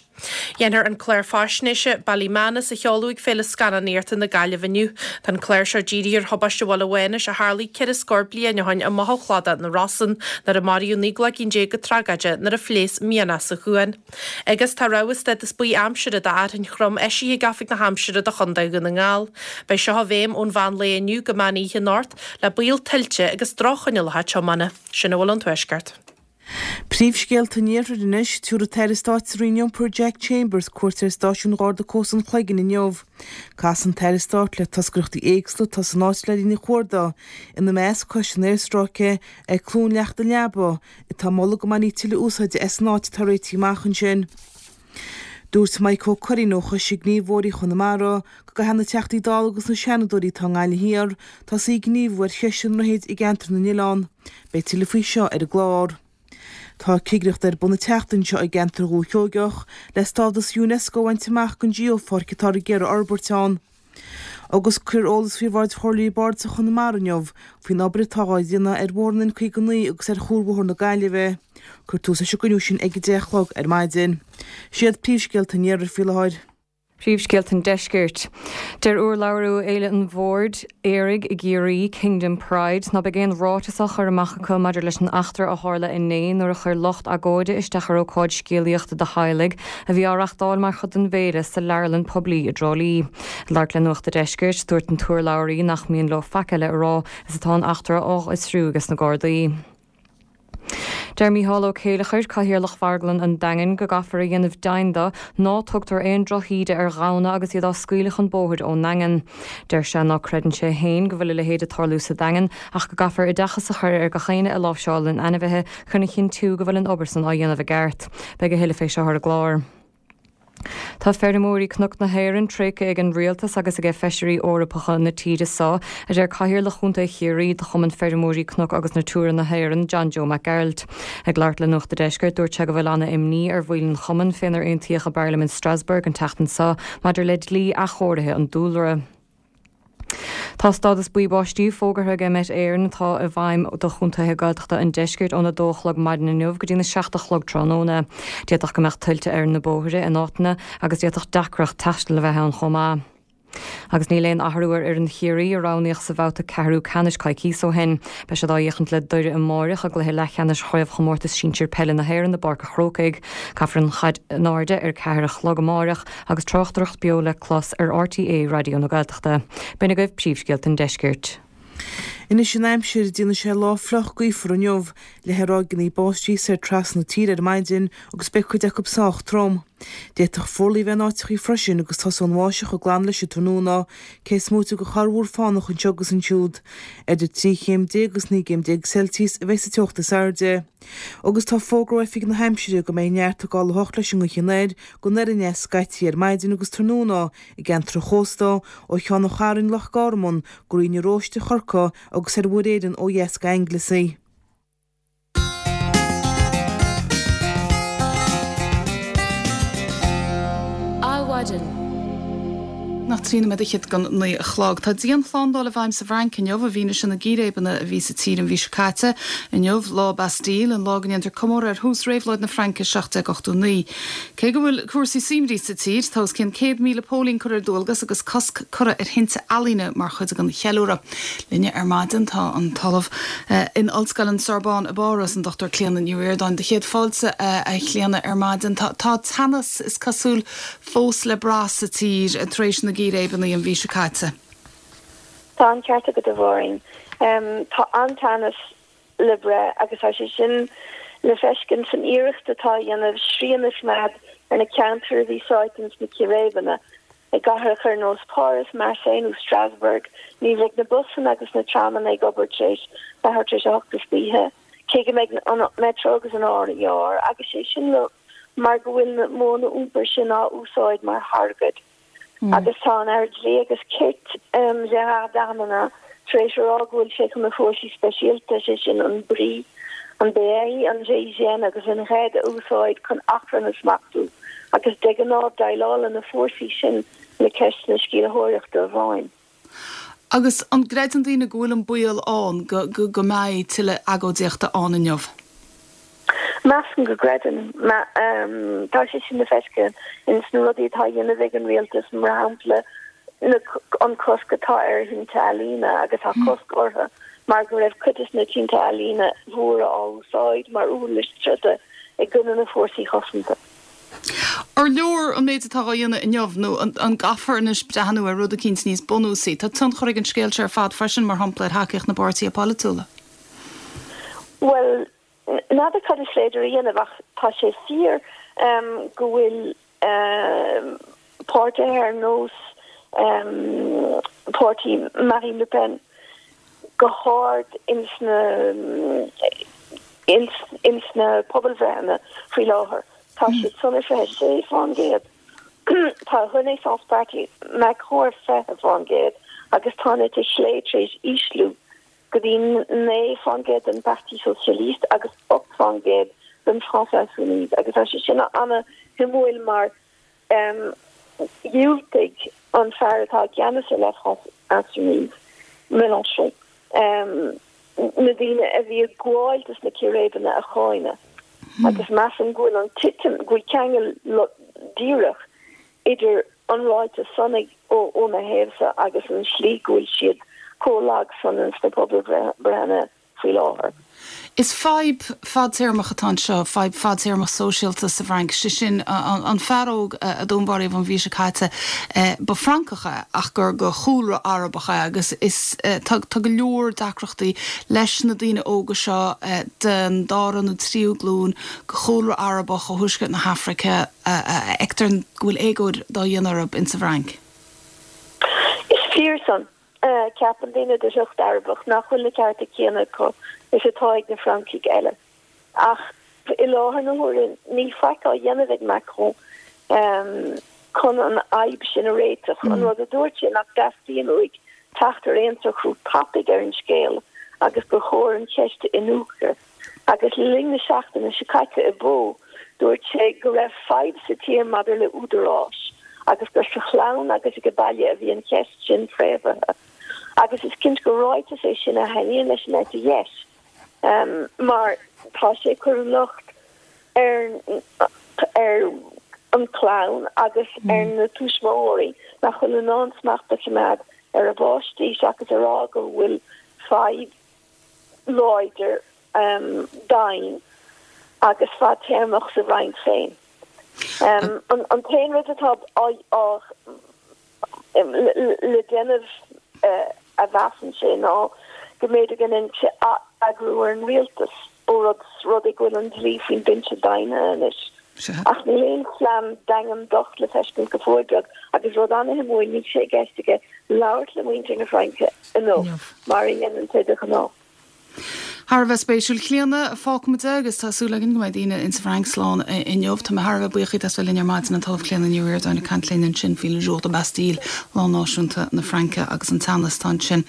Déanfar an clár faisnéise Ballymanus a sheoladh ag Féile Scannánaíochta na Gaillimhe inniu. Tá an clár seo dírithe ar thubaiste Bhaile Mhánais a tharlaigh ceithre scór bliain ó shin i mBothán Chladach na Rosann nuair a maraíodh naoi gcloigeann déag go tragóideach nuair a phléasc mianach sa chuan. Agus tá rabhadh stádas buí aimsire do fhearthainn throm eisithe ag Oifig na hAimsire do Chontae Dhún na nGall. Beidh seo i bhfeidhm ón mheán lae inniu go meán oíche anocht le baol tuilte agus droch-choinníollacha tiomána. Sin a bhfuil ón Tuaisceart. Príomhscéalta an Iarthair anois, Tabharfaidh an tAire Stáit sa Roinn Iompair Jack Chambers cuairt ar Stáisiún Gharda Cósta an Chloiginn inniu. Casfaidh an tAire Stáit le toscaireachtaí éagsúla atá san áit le linn a chuarda, ina measc Coiste an Aerstráice ag Cluain Leacht an Leaba, atá ag moladh go mbainfí tuilleadh úsáide as an áit atá réitithe amach ansin. Dúirt Maidhc Ó Curraoin ó Choiste Gníomhóirí Chonamara go gcaithfidh na Teachtaí Dála agus na Seanadóirí atá i nGaillimh Thiar tosaí ag gníomhú ar cheist an droichid i gceantar na nOileán. Beidh tuilleadh faoi seo ar an gclár. Tá cigireacht ar bun an tseachtain seo i gceantar Dhúiche Sheoigeach le stádas Unesco a bhaint amach don geopháirc atáthar ag iarraidh a fhorbairt ann. Agus cuirfear eolas faoi bhráid Chomhairleoirí Bardais Chonamara inniu faoin obair atá á dhéanamh ar bhóthar an N caoga naoi agus ar Chuarbhóthar na Gaillimhe. Cuirfear tús leis an gcruinniú sin ag a deich a chlog ar maidin. Siad príomhscéalta an iarthair faoi láthair. Príomhscéalta an Deiscirt. Deir urlabhraí ó Fhéile an Bhoird Aeraigh i gCiarraí, Kingdom Pride, ná beidh aon ráiteas á chur amach acu maidir leis an eachtra a tharla inné nuair a chuir lucht agóide isteach ar ócáid scéalaíochta do theaghlaigh a bhí á reachtáil mar chuid den bhféile sa leabharlann poiblí i dTrá Lí. Ag labhairt le Nuacht an Deiscirt, dúirt an t-urlabhraí nach mian leo faic eile a rá is atá an eachtra á fhiosrú ages na Gardaí. Deir Mícheál Ó Céileachair, Cathaoirleach Mharglann an Daingin, go gcaithfear a dhéanamh deimhin de ná tugtar aon drochíde ar ghamhna agus iad á scaoileadh chun bóthair ón nDaingean. Deir sé ná creideann sé féin go bhfuil a leithéid ag tarlú sa Daingean ach go gcaithfear oideachas a chur ar gach éinne a láimhseálann ainmhithe chun a chinntiú go bhfuil an obair san á dhéanamh i gceart. Beidh a thuilleadh fé seo ar an gclár. Tá feirmeoirí Cnoc na hÉireann tréigthe ag an rialtas agus ag feisirí Eorpacha na tíre seo, a deir Cathaoirleach Chontae Chiarraí de Chumann Feirmeoirí Cnoc agus Natura na hÉireann, John Joe Mac Gearailt. Ag labhairt le Nuacht a' Deiscirt, dúirt sé go bhfuil ana-imní ar bhaill an chumainn fénar aontaíodh i bParlaimint Strasbourg an tseachtain seo maidir le dlí athchóirithe an dúlra. Tá stádas buí báistí fógartha ag Met Éireann atá i bhfeidhm do chontaetha Gaeltachta an deiscirt óna dó a chlog maidin inniu go dtína seacht a chlog tráthnóna. D'fhéadfadh go mbeadh tuilte ar na bóithre in áiteanna agus d'fhéadfadh deacracht taistil a bheith ann chomh maith. Agus níl aon athrú ar fhoireann Chiarraí a roghnaíodh sa bhabhta ceathrú ceannais coicíos ó shin. Beidh siad á fhéachaint le Doire amáireach i gcluiche leathcheannais Chraobhchomórtas Sinsir Peile na hÉireann i bPáirc a' Chrócaigh. Caithfear an chaid in airde ar ceathair a chlog amáireach agus tráchtaireacht beo le clos ar RTÉ Raidió na Gaeltachta. B'in agaibh príomhscéalta an deiscirt. Anois an aimsir, déanfaidh sé lá fliuch gaofar inniu, le ráigeanna báistí soir trasna na tíre ar maidin agus beidh cuid acu sách trom. D'fhéadfadh fuarlaigh a bheith in áiteachaí freisin agus tosóidh an bháisteach ag glanadh leis an tráthnóna, cé is móite de chorrmhúr fánach anseo agus ansiúd. Idir trí chéim déag agus naoi gcéim déag Celsius a bheidh sa teocht is airde. Agus tá fógra ó Oifig na hAimsire go mbeidh neart ag gabháil a theacht leis an ngaoth anoir go anoir aneas scaití ar maidin agus tráthnóna i gceantar an chósta, ó Cheann an Chairn, Loch Garman, go Rinn na Róiste, Chorcaí agus ar Mhuir Éireann ó dheas go Anglesey. Adhmhaidin. Nach trí nóiméad fhichead don naoi a chlog. Tá dianshlándáil i bhfeidhm sa bhFrainc inniu i bhfianaise na gcíréibeanna a bhí sa tír an mhí seo caite. Inniu, lá Bastille, an lá go ndéantar comóradh ar thús réabhlóid na Fraince seacht déag ochtó naoi. Cé go bhfuil cúrsaí suaimhní sa tír, tá os cionn céad míle póilín curtha ar dualgas agus cosc curtha ar thinte ealaíne mar chuid den cheiliúradh. Linne ar maidin tá an tOllamh in Ollscoil an Sorbonne i bPáras, an Dochtúir Clíona Ní Ríordáin. Do chéad fáilte, a Chlíona, ar maidin. Tá teannas, is cosúil, fós le brath sa tír tar éis na gcíréibeanna an mhí seo caite. Tá an ceart agat, a Mháirín. Tá an-teannas le brath agus tá sé sin le feiscint san iarracht atá á dhéanamh srian a choimeád ar na ceantair a bhí sáite ins na círéibeanna. I gcathracha ar nós Páras, Marseille nó Strasbourg, ní bheidh na busanna agus na tramanna ag obair tar éis leathuair tar éis a hocht istoíche, cé go mbeidh an Metro agus an RER, agus sé sin le mar go bhfuil na modhanna iompair sin á úsáid mar thargaid. Agus tá an Aire Dlí agus Cirt, Gérard Darmanin, tar éis a rá go bhfuil sé chun na fórsaí speisialta, sé sin an bri, an BRI, an GIGN agus an RAID a úsáid chun achrann a smachtú agus de ghnáth déileálann na fórsaí sin le ceisteanna sceimhlitheoireachta amháin. Agus an gcreideann daoine go bhfuil an baol ann go go mbeidh tuilleadh agóidíochta ann inniu? Measaim go gcreideann. Tá sé sin le feiscint ins na rudaí atá á dhéanamh ag an rialtas, mar shampla na an cosc atá ar thinte ealaíne agus tá cosc orthu mar go raibh cuid des na tinte ealaíne mhóra á úsáid mar uirlis troda i gcoinne na fórsaí cosanta. Ar leor an méid atá á dhéanamh inniu nó an gcaithfear anois breathnú ar rud eicínt níos bunúsaí? Tá tionchar ag an scéal seo ar fad freisin, mar shampla, ar thacaíocht na bpáirtithe polaitiúla. Bhuel, n'fheadar cad is féidir a dhéanamh ach tá sé fíor go bhfuil páirtithe ar nós páirtí Marine Le Pen go hard ins na ins na pobalbhreitheanna faoi láthair. Tá siad san ar fiche sé fán gcéad. Tá Renaissance Party Macron ar fiche fán gcéad agus tá an eite chlé tar éis ísliú go dtí naoi fán gcéad den Parti Socialiste agus ocht fán gcéad den France Insoumise agus tá sé sin ana-shuimiúil mar dhiúltaigh an fear atá i gceannas ar La France Insoumise, Mélenchon, na daoine a bhí ag gabháil dos na círéibeanna a cháineadh agus measaim go bhfuil an titim, go bhfuil ceangal díreach idir an ráiteas san óna thaobhsa agus an slí go bhfuil siad chomh lag san sna pobalbhreitheanna faoi láthair. Is fadhb fadtéarmach atá anseo, fadhb fadtéarmach sóisialta sa bhFrainc, sé sin an fear óg a dúnmharaíodh an mhí seo caite, ba Fhrancach é ach gur de chúlra Arabach é agus is tá go leor deacrachtaí leis na daoine óga seo den dara nó tríú glúin de chúlra Arabach ó thuaisceart na hAfraice a fheictear go bhfuil éagóir dá dhéanamh orthu insa bhFrainc. Is fíor san. Ceapann daoine de shliocht Arabach nach bhfuil na cearta céanna acu is atá ag na Francaigh eile. Ach i láthair na huaire níl faic á dhéanamh ag Macron chun an fhadhb sin a réiteach. An rud a dúirt sé nach dteastaíonn uaidh teacht ar aon socrú tapaidh ar an scéal agus gur chóir an cheist a iniúchadh. Agus le linn na seachtaine seo caite i bPau, dúirt sé go raibh fadhb sa tír maidir le údaráis agus gur sa chlann agus ag baile a bhí an cheist sin fréamhaithe. Agus is cinnte gur ráiteas é sin a thaitníonn leis an eite dheis, mar tá sé ag cur an locht ar ar an chlann agus ar na tuismitheoirí nach bhfuil in ann smacht a choimeád ar a bpáistí seachas a rá go bhfuil fadhb láidir daingean agus fadtéarmach sa Fhrainc féin. An t-aon rud atá le déanamh a mheasann sé ná go mb'fhéidir go ndéanfaidh sé atheagrú ar an rialtas ó rud rud é go bhfuil an dlí faoin binse daingnithe anois. Ach níl aon phlean daingean docht le feiscint go fóill beag agus rud an-shuimiúil níl sé i gceist aige labhairt le muintir na Fraince inniu mar a dhéanann sé de ghnáth. Thar a bheith spéisiúil. Clíona, fágfaimid é agus tá súil againn go mbeidh daoine insa Fhrainc slán inniu. Tá mé thar a bheith buíoch díot as bheith linn ar maidin, an tOllamh Clíona Ní Ríordáin ag caint linn ansin faoi Le Jour de Bastille, lá náisiúnta na Fraince agus an teannas atá ansin.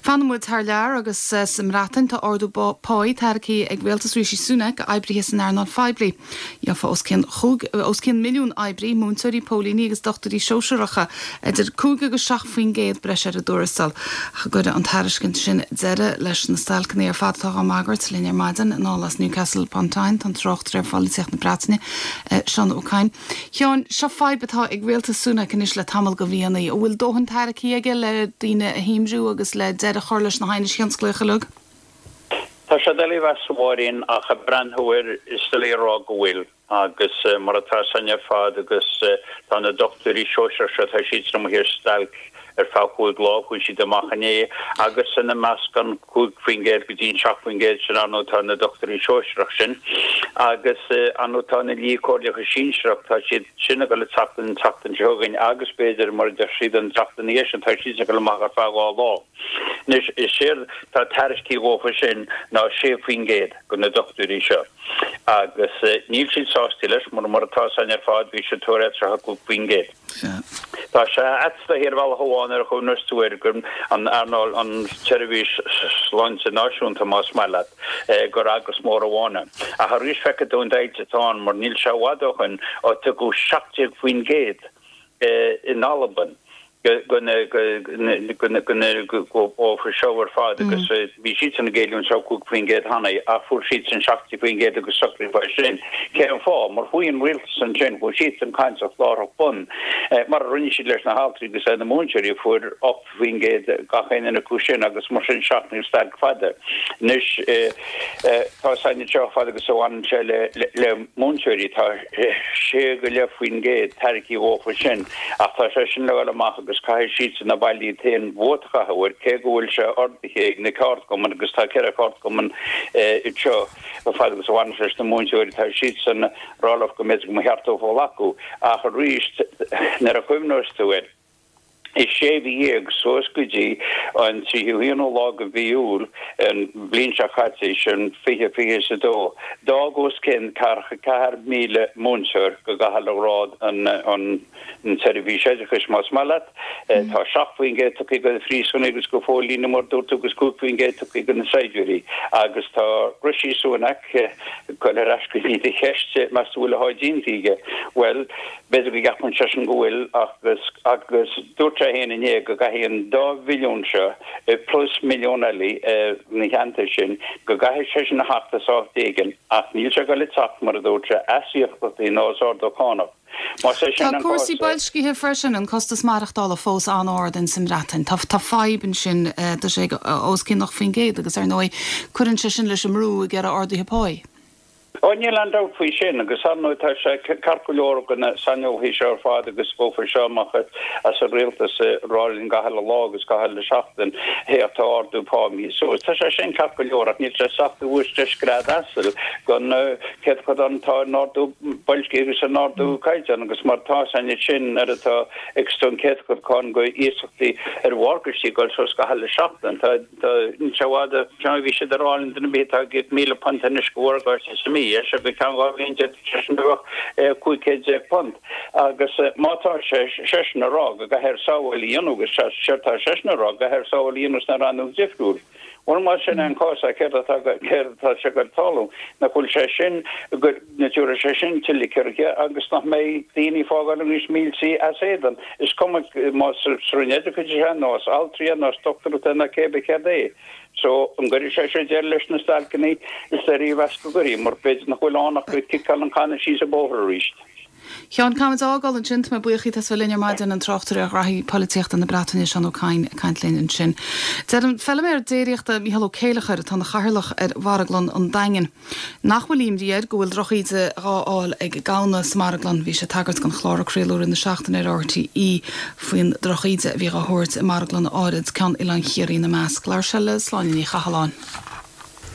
Fanann muid thar lear agus sa mBreatain tá ardú páí tairgthe ag rialtas Rishi Sunak d'oibrithe san earnáil phoiblí. Gheofa os cionn chúig, os cionn milliún oibrí, múinteoirí, póilíní agus dochtúirí sóisearacha, idir cúig agus seacht faoin gcéad breis ar a dtuarastal. Ach an gcuirfidh an tairiscint sin deireadh leis na stailceanna ar fad atá á mbagairt linn ar maidin, anall as Newcastle upon Tyne, tá an tráchtaire ar pholaitíocht na Breataine, Seán Ó Cadhain. Sheáin, seo fadhb atá ag rialtas Sunak anois le tamall de mhíonna. An bhfuil dóthain tairgthe aige le daoine a shuaimhniú agus le deireadh a chur leis na haighnis thionsclaíocha uilig? Tá sé doiligh a mheas, a Mháirín, ach ag breathnú air is doiligh a rá go bhfuil. Agus mar atá a fhios againn ar fad agus tá na dochtúirí sóisearach seo, tá siadsan amuigh ar stailc ar feadh chúig lá, chuaigh siad amach inné agus ina measc an cúig faoin gcéad go dtí an seacht faoin gcéad sin ar ndóigh tá na dochtúirí sóisearach sin agus ar ndóigh tá na lia comhairleacha sinsearach, tá siad sin ag dul ag teacht an tseachtain seo chugainn agus b'fhéidir mar a deir siad an tseachtain ina dhiaidh sin, tá siadsan ag dul amach ar feadh dhá lá. Anois is éard tá tairiscthe dhófa sin ná sé faoin gcéad go na dochtúirí seo agus níl siad sásta leis mar mar atá a fhios againn ar fad bhí siad ag tabhairt tríocha cúig faoin gcéad. Tá sé ait is dóichí ar bhealach amháin nuair a chuimhneos tú air gur an earnáil an tseirbhís sláinte náisiúnta más maith leat gur eagras mór amháin é. Ach arís feicfidh tú an deighilt atá ann mar níl sé i bhfad ó shoin ó tugadh seacht déag faoin gcéad in Albain go dhófa seo ar fad agus bhí siadsan ag éileamh an cúig faoin gcéad cheana ach fuair siadsan seacht déag faoin gcéad agus socraíodh fá sin. Cén fáth? Mar chuaigh an rialtas ansin, chuaigh siadsan ag caint láithreach bonn, mar a rinne siad leis na haltraí agus le na múinteoirí, fuair ocht faoin gcéad gach aon duine acu sin agus mar sin seachnaíodh stailc fada. Anois tá a fhios againn anseo fad agus a bhaineann sé le múinteoirí, tá sé go leith faoin gcéad tairgthe dhófa sin ach tá sé sin le dhul amach agus caithfidh siadsan na baill iad féin vóta a chaitheamh air cé go bhfuil sé ordaithe ag na ceardchumainn agus tá ceithre cheardchumann anseo fad agus a bhaineann sé leis na múinteoirí tá siadsan ag rá leo go mb'fhéidir go mba cheart dófa glacadh ach arís nuair a chuimhneos tú air I sé mhí dhéag, suas go dtí an tríocha haonú lá de mhí Iúil an bhliain seo caite, sin fiche fiche is a dó, d'fhág os cionn ceathracha ceathair míle múinteoir go gcaithfeá a rá an tseirbhís oideachais, más maith leat. Tá seacht faoin gcéad tugtha do na phríosúnaigh agus do phóilíní, mar a dúirt tú, agus cúig faoin gcéad tugtha do na saighdiúirí. Agus tá Rishi Sunak ag dul ar ais go dtí do cheist, meas tú bhfuil a sháith déanta aige? Bhuel, B'fhéidir go gceapann seisean go bhfuil agus agus dúirt sé féin inné go gcaithfidh an dá bhilliún seo plus milliún eile ina theannta sin, go gcaithfidh sé sin a theacht as áit éigin, ach níl sé ag dul a teacht, mar a dúirt sé, as iasachtaí ná as ardú cánach. Más é sin Tá an cúrsaí cás. boilscithe freisin, an costas maireachtála fós an-ard in sa mBreatain. Tá tá fadhb ansin, tá sé os cionn ocht faoin gcéad agus ar ndóigh cuireann sé sin leis an mbrú ag iarraidh arduithe páí. Ó níl aon dabht faoi sin agus ar ndóigh tá sé ceart go leor go na saineolaithe seo ar fad agus bófar seo amach as an rialtas ag rá linn gach uile lá agus gach uile seachtain hé tá ardú pá imithe suas. Tá sé sin ceart go leor ach níl sé sách uais de scread asail don chéatadán atá in ardú boilscithe agus in ardú caighdeán agus mar tá san sin ar atá ag an céatadán go iasachtaí ar mhorgáistí ag dul suas gach uile seachtain. Tá Níl sé i bhfad ó bhí siad ag rá linn duine ar bith atá ag íoc míle punt anois go mhorgáiste sa mhí, é seo go ceann dhá bhliain d'fhéadfadh sé sin a bheith cúig chéad déag punt. Agus má tá sé seisean ag rá go gcaithfear sábháil a dhéanamh agus séard tá seisean ag rá go gcaithfear sábháil a dhéanamh sna rannóga difriúil. Bhuel más sin an cás céard atá céard atá sé ag tarlú nach bhfuil sé sin go dtabharfaidh sé sin tuilleadh ciorruithe agus nach mbeidh daoine ag fágáil níos millte as éadan. Is cuma más sa Roinn Oideachais é nó as altraí nó as dochtúireachta nó cé bith céard é. So an gcuirfidh sé seo deireadh leis na stailceanna is léir a mheas go gcuirfidh mar b'fhéidir nach bhfuil ann ach go ciceáil an canna síos an bóthar arís. Sheáin, caithfimid a fhágáil ansin, tá mé buíoch díot as bheith linn ar maidin an tráchtaire ar ghraithí polaitíochta na Breataine Seán Ó Cadhain ag caint linn ansin. Deir an feilméar déiríochta Mícheál Ó Céileachair atá ina chathaoirleach ar mharglann an Daingin. Nach bhfuil imní air go bhfuil drochíde dhá fháil ag gamhna sa marglann, bhí sé ag tagairt don chlár a craoladh i rith na seachtaine ar RTÉ faoin drochíde a bhí dhá thabhairt i marglann áirid, ceann Oileán Chiarraí ina measc. Labhair sé le Sláine Ní Chathalláin.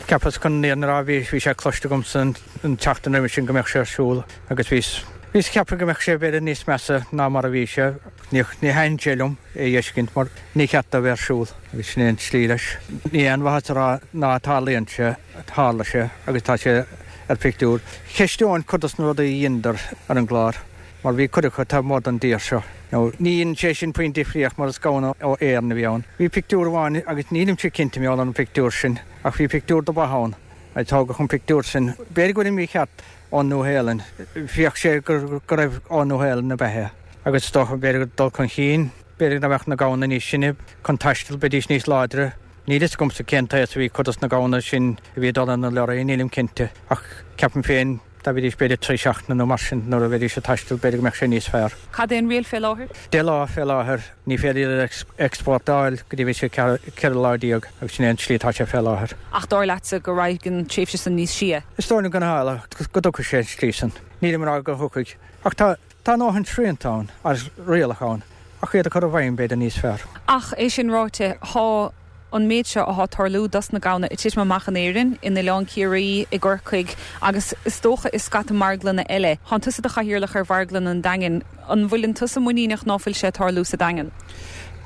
Cheapas chun an rá bhí bhí sé cloiste agamsa an tseachtain roimhe sin go mbeadh sé ar siúl agus bhíos bhíos ag ceapadh go mbeadh sé b'fhéidir níos measa ná mar a bhí sé. Ní ní thaitníonn sé liom é a fheiscint mar ní cheart dó bheith ar siúl agus sin é an tslí leis. Ní aon mhaitheas a rá ná tarlaíonn sé, tharla sé agus tá sé ar pictiúr. Cheisteoinn cuid dos na rudaí a dheineadar ar an gclár mar bhí cuid acu taobh amuigh den dtír seo. Nó ní dhein sé sin puinn difríocht mar is gamhna ó Éirinn a bhí ann. Bhí pictiúr amháin agus nílimse cinnte mar gheall ar an pictiúr sin ach bhí pictiúr de ba ann a tógadh an pictiúr sin. B'fhéidir go bhfuil mícheart ón Nua-Shéalainn. Bhíodh sé go raibh ón Nua-Shéalainn ab ea é. Agus is dócha b'fhéidir go dul chun cinn, b'fhéidir go mbeadh na gamhna níos sine chun taistil, beidís níos láidre. Níl fhios agamsa cén t-aos a bhí cuid dos na gamhna sin a bhí ag dul ar na leoraí, nílim cinnte. Ach ceapaim féin dá mbeidís b'fhéidir trí seachtaine nó mar sin nuair a bheidís ag taisteal b'fhéidir go mbeadh sé níos fearr. Cad é an riail fé láthair? Deich lá fé láthair, ní féidir iad a exportáil go dtí bhí sé ceithre lá déag agus sin é an tslí atá sé fé láthair. Ach dar leatsa go raghaidh an tréimhse san níos sia? Is dóigh liom go go dtiocfaidh sé an tslí san. Nílim ag rá go dtiocfaidh. Ach tá tá a ndóthain srianta ann agus rialacha ann ach iad a chur i bhfeidhm b'fhéidir níos fearr. Ach é sin ráite, thá an méid seo athá tarlú dos na gamhna ag titim amach in Éirinn, in Oileán Ciarraí, i gCorcaigh agus is dócha i scata marglanna eile. Thánn tusa i do chathaoirleach ar mharglann an Daingin. An bhfuileann tusa muiníneach ná fuil sé ag tarlú sa Daingean?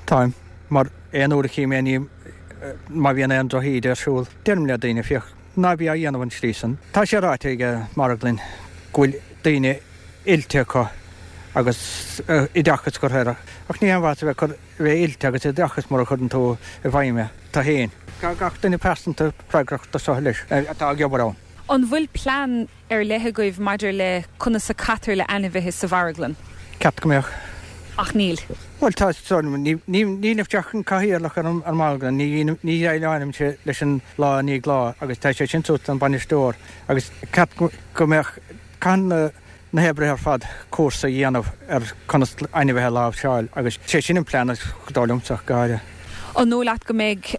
Táim, mar aon uair a chím aon ní má bhíonn aon drochíde ar siúl, deirim le daoine, féach, ná bí á dhéanamh an tslí san. Tá sé ráite ag an marglann go bhfuil daoine oilte acu agus oideachas curtha air ach ní haon mhaitheas a bheith cur bheith oilte agus oideachas mura chuireann tú i bhfeidhm é tú féin. Tá gach duine pearsanta freagrach do seo leis atá ag obair ann. An bhfuil plean ar leith agaibh maidir le conas a caitear le ainmhithe sa mharglann? Ceart go mbeadh. Ach níl. Bhuel tá, ní nílimse ach an cathaoirleach ar an marglann, ní ní dhéileálaimse leis an lá i ndiaidh lá agus tá sé sin suas don bhainisteoir agus ceart go mbeadh caithfidh na na hoibrithe ar fad cúrsa a dhéanamh ar conas ainmhithe a láimhseáil agus sé sin an plean is dóigh liomsa go háirithe. An dóigh leat go mbeidh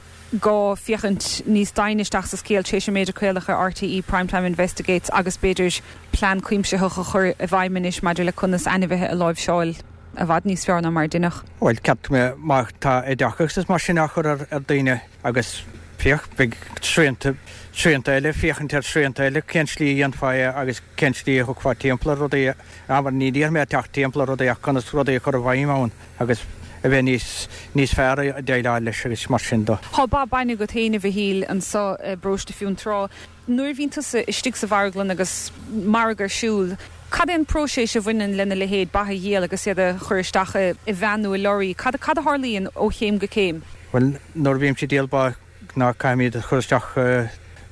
gá féachaint níos doimhne isteach sa scéal tar éis an méid a craoladh ar RTÉ Primetime Investigates agus b'fhéidir plean cuimsitheach a chur i bhfeidhm anois maidir le conas ainmhithe a láimhseáil i bhfad níos fearr ná mar a deineadh? Bhuel, ceart go mbeadh má tá oideachas is mar sin á chur ar daoine agus féach, beidh srianta, srianta eile, féachaint ar shrianta eile, cén slí a dhéanfá é agus cén slí a thiocfá timpeall ar rudaí, abair, ní déarfaidh mé teacht timpeall ar rudaí ach conas rudaí a chur i bhfeidhm ann agus a bheith níos, níos fearr a dhéileáil leis agus mar sin de. Tá ba bainne agat féin, a Mhichíl, anso i bparóiste Fionntrá. Nuair a bhíonn tusa istigh sa mharglann agus margadh ar siúl, cad é an próiseas a bhaineann lena leithéid, ba a dhíol agus iad a chur isteach i veain nó i lorraí? Cad, cad a tharlaíonn ó chéim go céim? Bhuel, nuair a bhímse ag díol ba, ná caithfimid iad a chur isteach i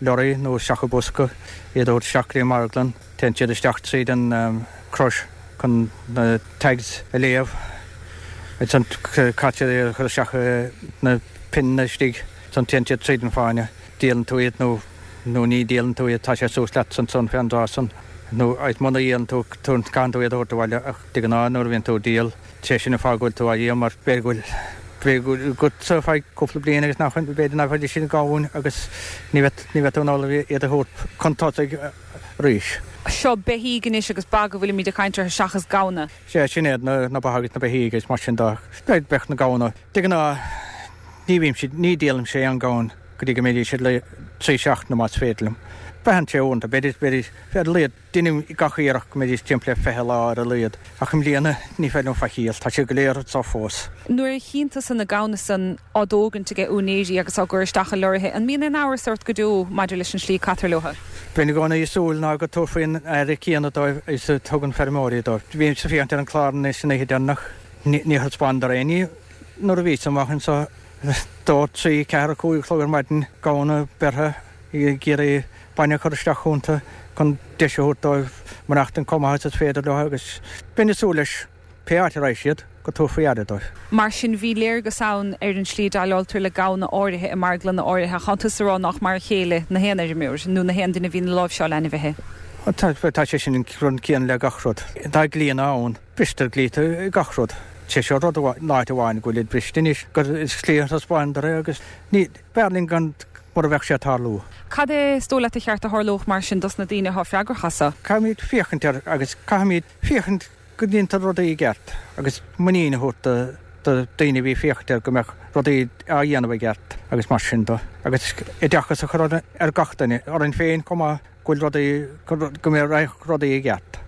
lorraí nó isteach i bosca, iad a thabhairt isteach go dtí an marglann. Téann siad isteach tríd an crush chun na tags a léamh Ansan caitear iad a chur isteach na pionnaí istigh, ansan téann siad tríd an fáinne. Díolann tú iad nó nó ní dhíolann tú iad, tá sé suas leat ansan fén dtráth san. Nó agus muna dhíolann tú, caitheann tú iad a thabhairt abhaile ach de ghnáth nuair a bhíonn tú ag díol, sé sin an fáth go bhfuil tú á dhíol mar b'fhéidir go bhfuil b'fhéidir go bhfuil agatsa feadh cúpla bliain agus nach b'fhéidir nach bhfaighidh siad gamhain agus ní bheadh ní bheadh tú in ann iad a thabhairt chun tosaigh arís. Seo beithígh anois agus ba go bhfuilimid ag caint orthu seachas gamhna. Sea, sin iad na na ba agus na beithígh agus mar sin de. Bheadh na gamhna. De ghnáth ní bhímse ní dhíolaimse aon ghamhain go dtí go mbeidís siad le trí seachtaine más féidir liom. Braitheann sé uaireanta, b'fhéidir b'fhéidir ar a laghad deinim gach iarracht go mbeidís timpeall le fiche lá ar a laghad ach i mbliana ní féidir liom faichíl, tá siad go léir anseo fós. Nuair a chíonn tusa na gamhna san á dtógaint aige úinéirí agus á gcur isteach i lorraithe, an mbíonn aon amhras ort go deo maidir leis an slí a caitear leo? Bíonn i gcónaí ag súil ná go dtabharfaí an aire céanna dóibh is a tugann feirmeoirí dóibh. Bhímse ag féachaint ar an clár anois an oíche deireanach, níor thaispeánadar aon ní nuair a bhíos amach anseo dó, trí, ceathair, cúig a chlog ar maidin, gamhna beirthe ag iarraidh bainne a chur isteach iontu chun deis a thabhairt dóibh maireachtaint chomh maith is is féidir leo agus bheinn ag súil leis, pé áit a raghaidh siad, go dtabharfaí aire dóibh. Mar sin, bhí léargas ann ar an slí a déileáiltear le gamhna áirithe i marglanna áirithe. Ach tánn tusa ag rá nach mar a chéile na haon fheirmeoir nó na haon duine a bhíonn ag láimhseáil ainmhithe. Tá sé sin an rud céanna le gach rud. Tá dlíthe ann. Bristear dlíthe i gach rud. Sé seo rud amháin, áit amháin go bhfuil iad briste anois, gur is slí a thaispeánadar é agus ní, b'fhearr linn gan mura bheadh sé ag tarlú. Cad é is dóigh leat a cheart a tharlódh mar sin dos na daoine atá freagrach as seo? Caithfimid féachaint air agus caithfimid féachaint go ndéantar rudaí i gceart agus muinín a thabhairt do do daoine a bhí ag féachaint air go mbeadh rudaí á dhéanamh i gceart agus mar sin de. Agus oideachas a chur ar gach duine, orainn féin chomh maith, go bhfuil rudaí, go mbeadh rudaí i gceart.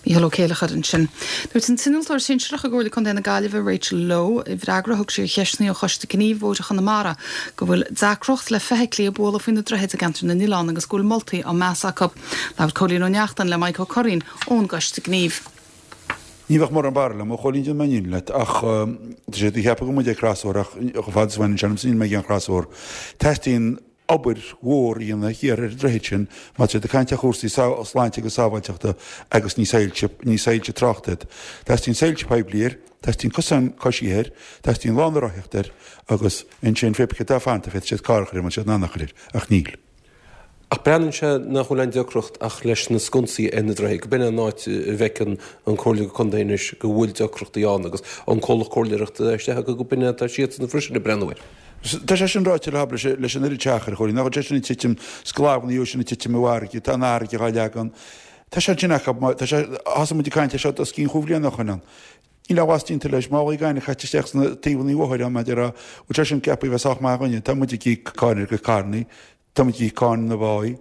Mícheál Ó Céileachair ansin. Dúirt an t-innealtóir sinsearach i gComhairle Contae na Gaillimhe, Rachel Lowe, i bhfreagra a thug sí ar cheisteanna ó Choiste Gnímh Bhóithre Chonamara, go bhfuil deacracht le feithiclí ag bualadh faoi na droichid i gceantar na nOileán agus go bhfuil moltaí á meas acu. Labhair Cóilín Ó Neachtain le Mike Ó Curraoin ón gCoiste Gnímh. Ní bheadh mórán barúil agam, a Chóilín, déanfaidh mé an fhírinne leat, ach tá sé ag ceapadh go bhfuil muid ag crosbhóthar ach chomh fada is a bhaineann sé liomsa níl mé ag aon chrosbhóthar. Teastaíonn obair mhór a dhéanamh thiar ar an droichead sin má tá siad ag caint ar chúrsaí sláinte agus sábháilteachta agus ní soilse, ní soilse tráchta iad. Teastaíonn soilse poiblí air, teastaíonn cosán coisithe air, teastaíonn lána rothaíochta air agus ansin pé bith cé atá fanta féadfaidh siad carr a chur air má tá siad in ann a chur air, ach níl. Ach breathnaíonn sé nach bhfuil aon deacracht ach leis na sconsaí ar na droichid, go b'in an áit a bhfeiceann an Comhairle Contae anois go bhfuil deacrachtaí ann agus an comhlacht comhairleoireachta isteach acu go b'in atá siadsan freisin ag breathnú air. Tá sé sin ráite le habair leis an oiread achar, a Chóilín, nach bhfuil sé sin ag titim sclamhna nó sin ag titim i bhfarraige, tá an fharraige dhá leagan. Tá sé ansin acu, tá sé, thosaigh muid ag caint air seo os cionn chúig bhliana ó shoin ann. Níl aon mhaitheas déanta leis, málaí gainimh caite isteach sna taobhanna bóthair ann, maidir a, bhfuil sé sin ceaptha a bheith sách maith againne, tá muid ag íoc cáin ar gcuid carrannaí, tá muid ag íoc cáin na báí,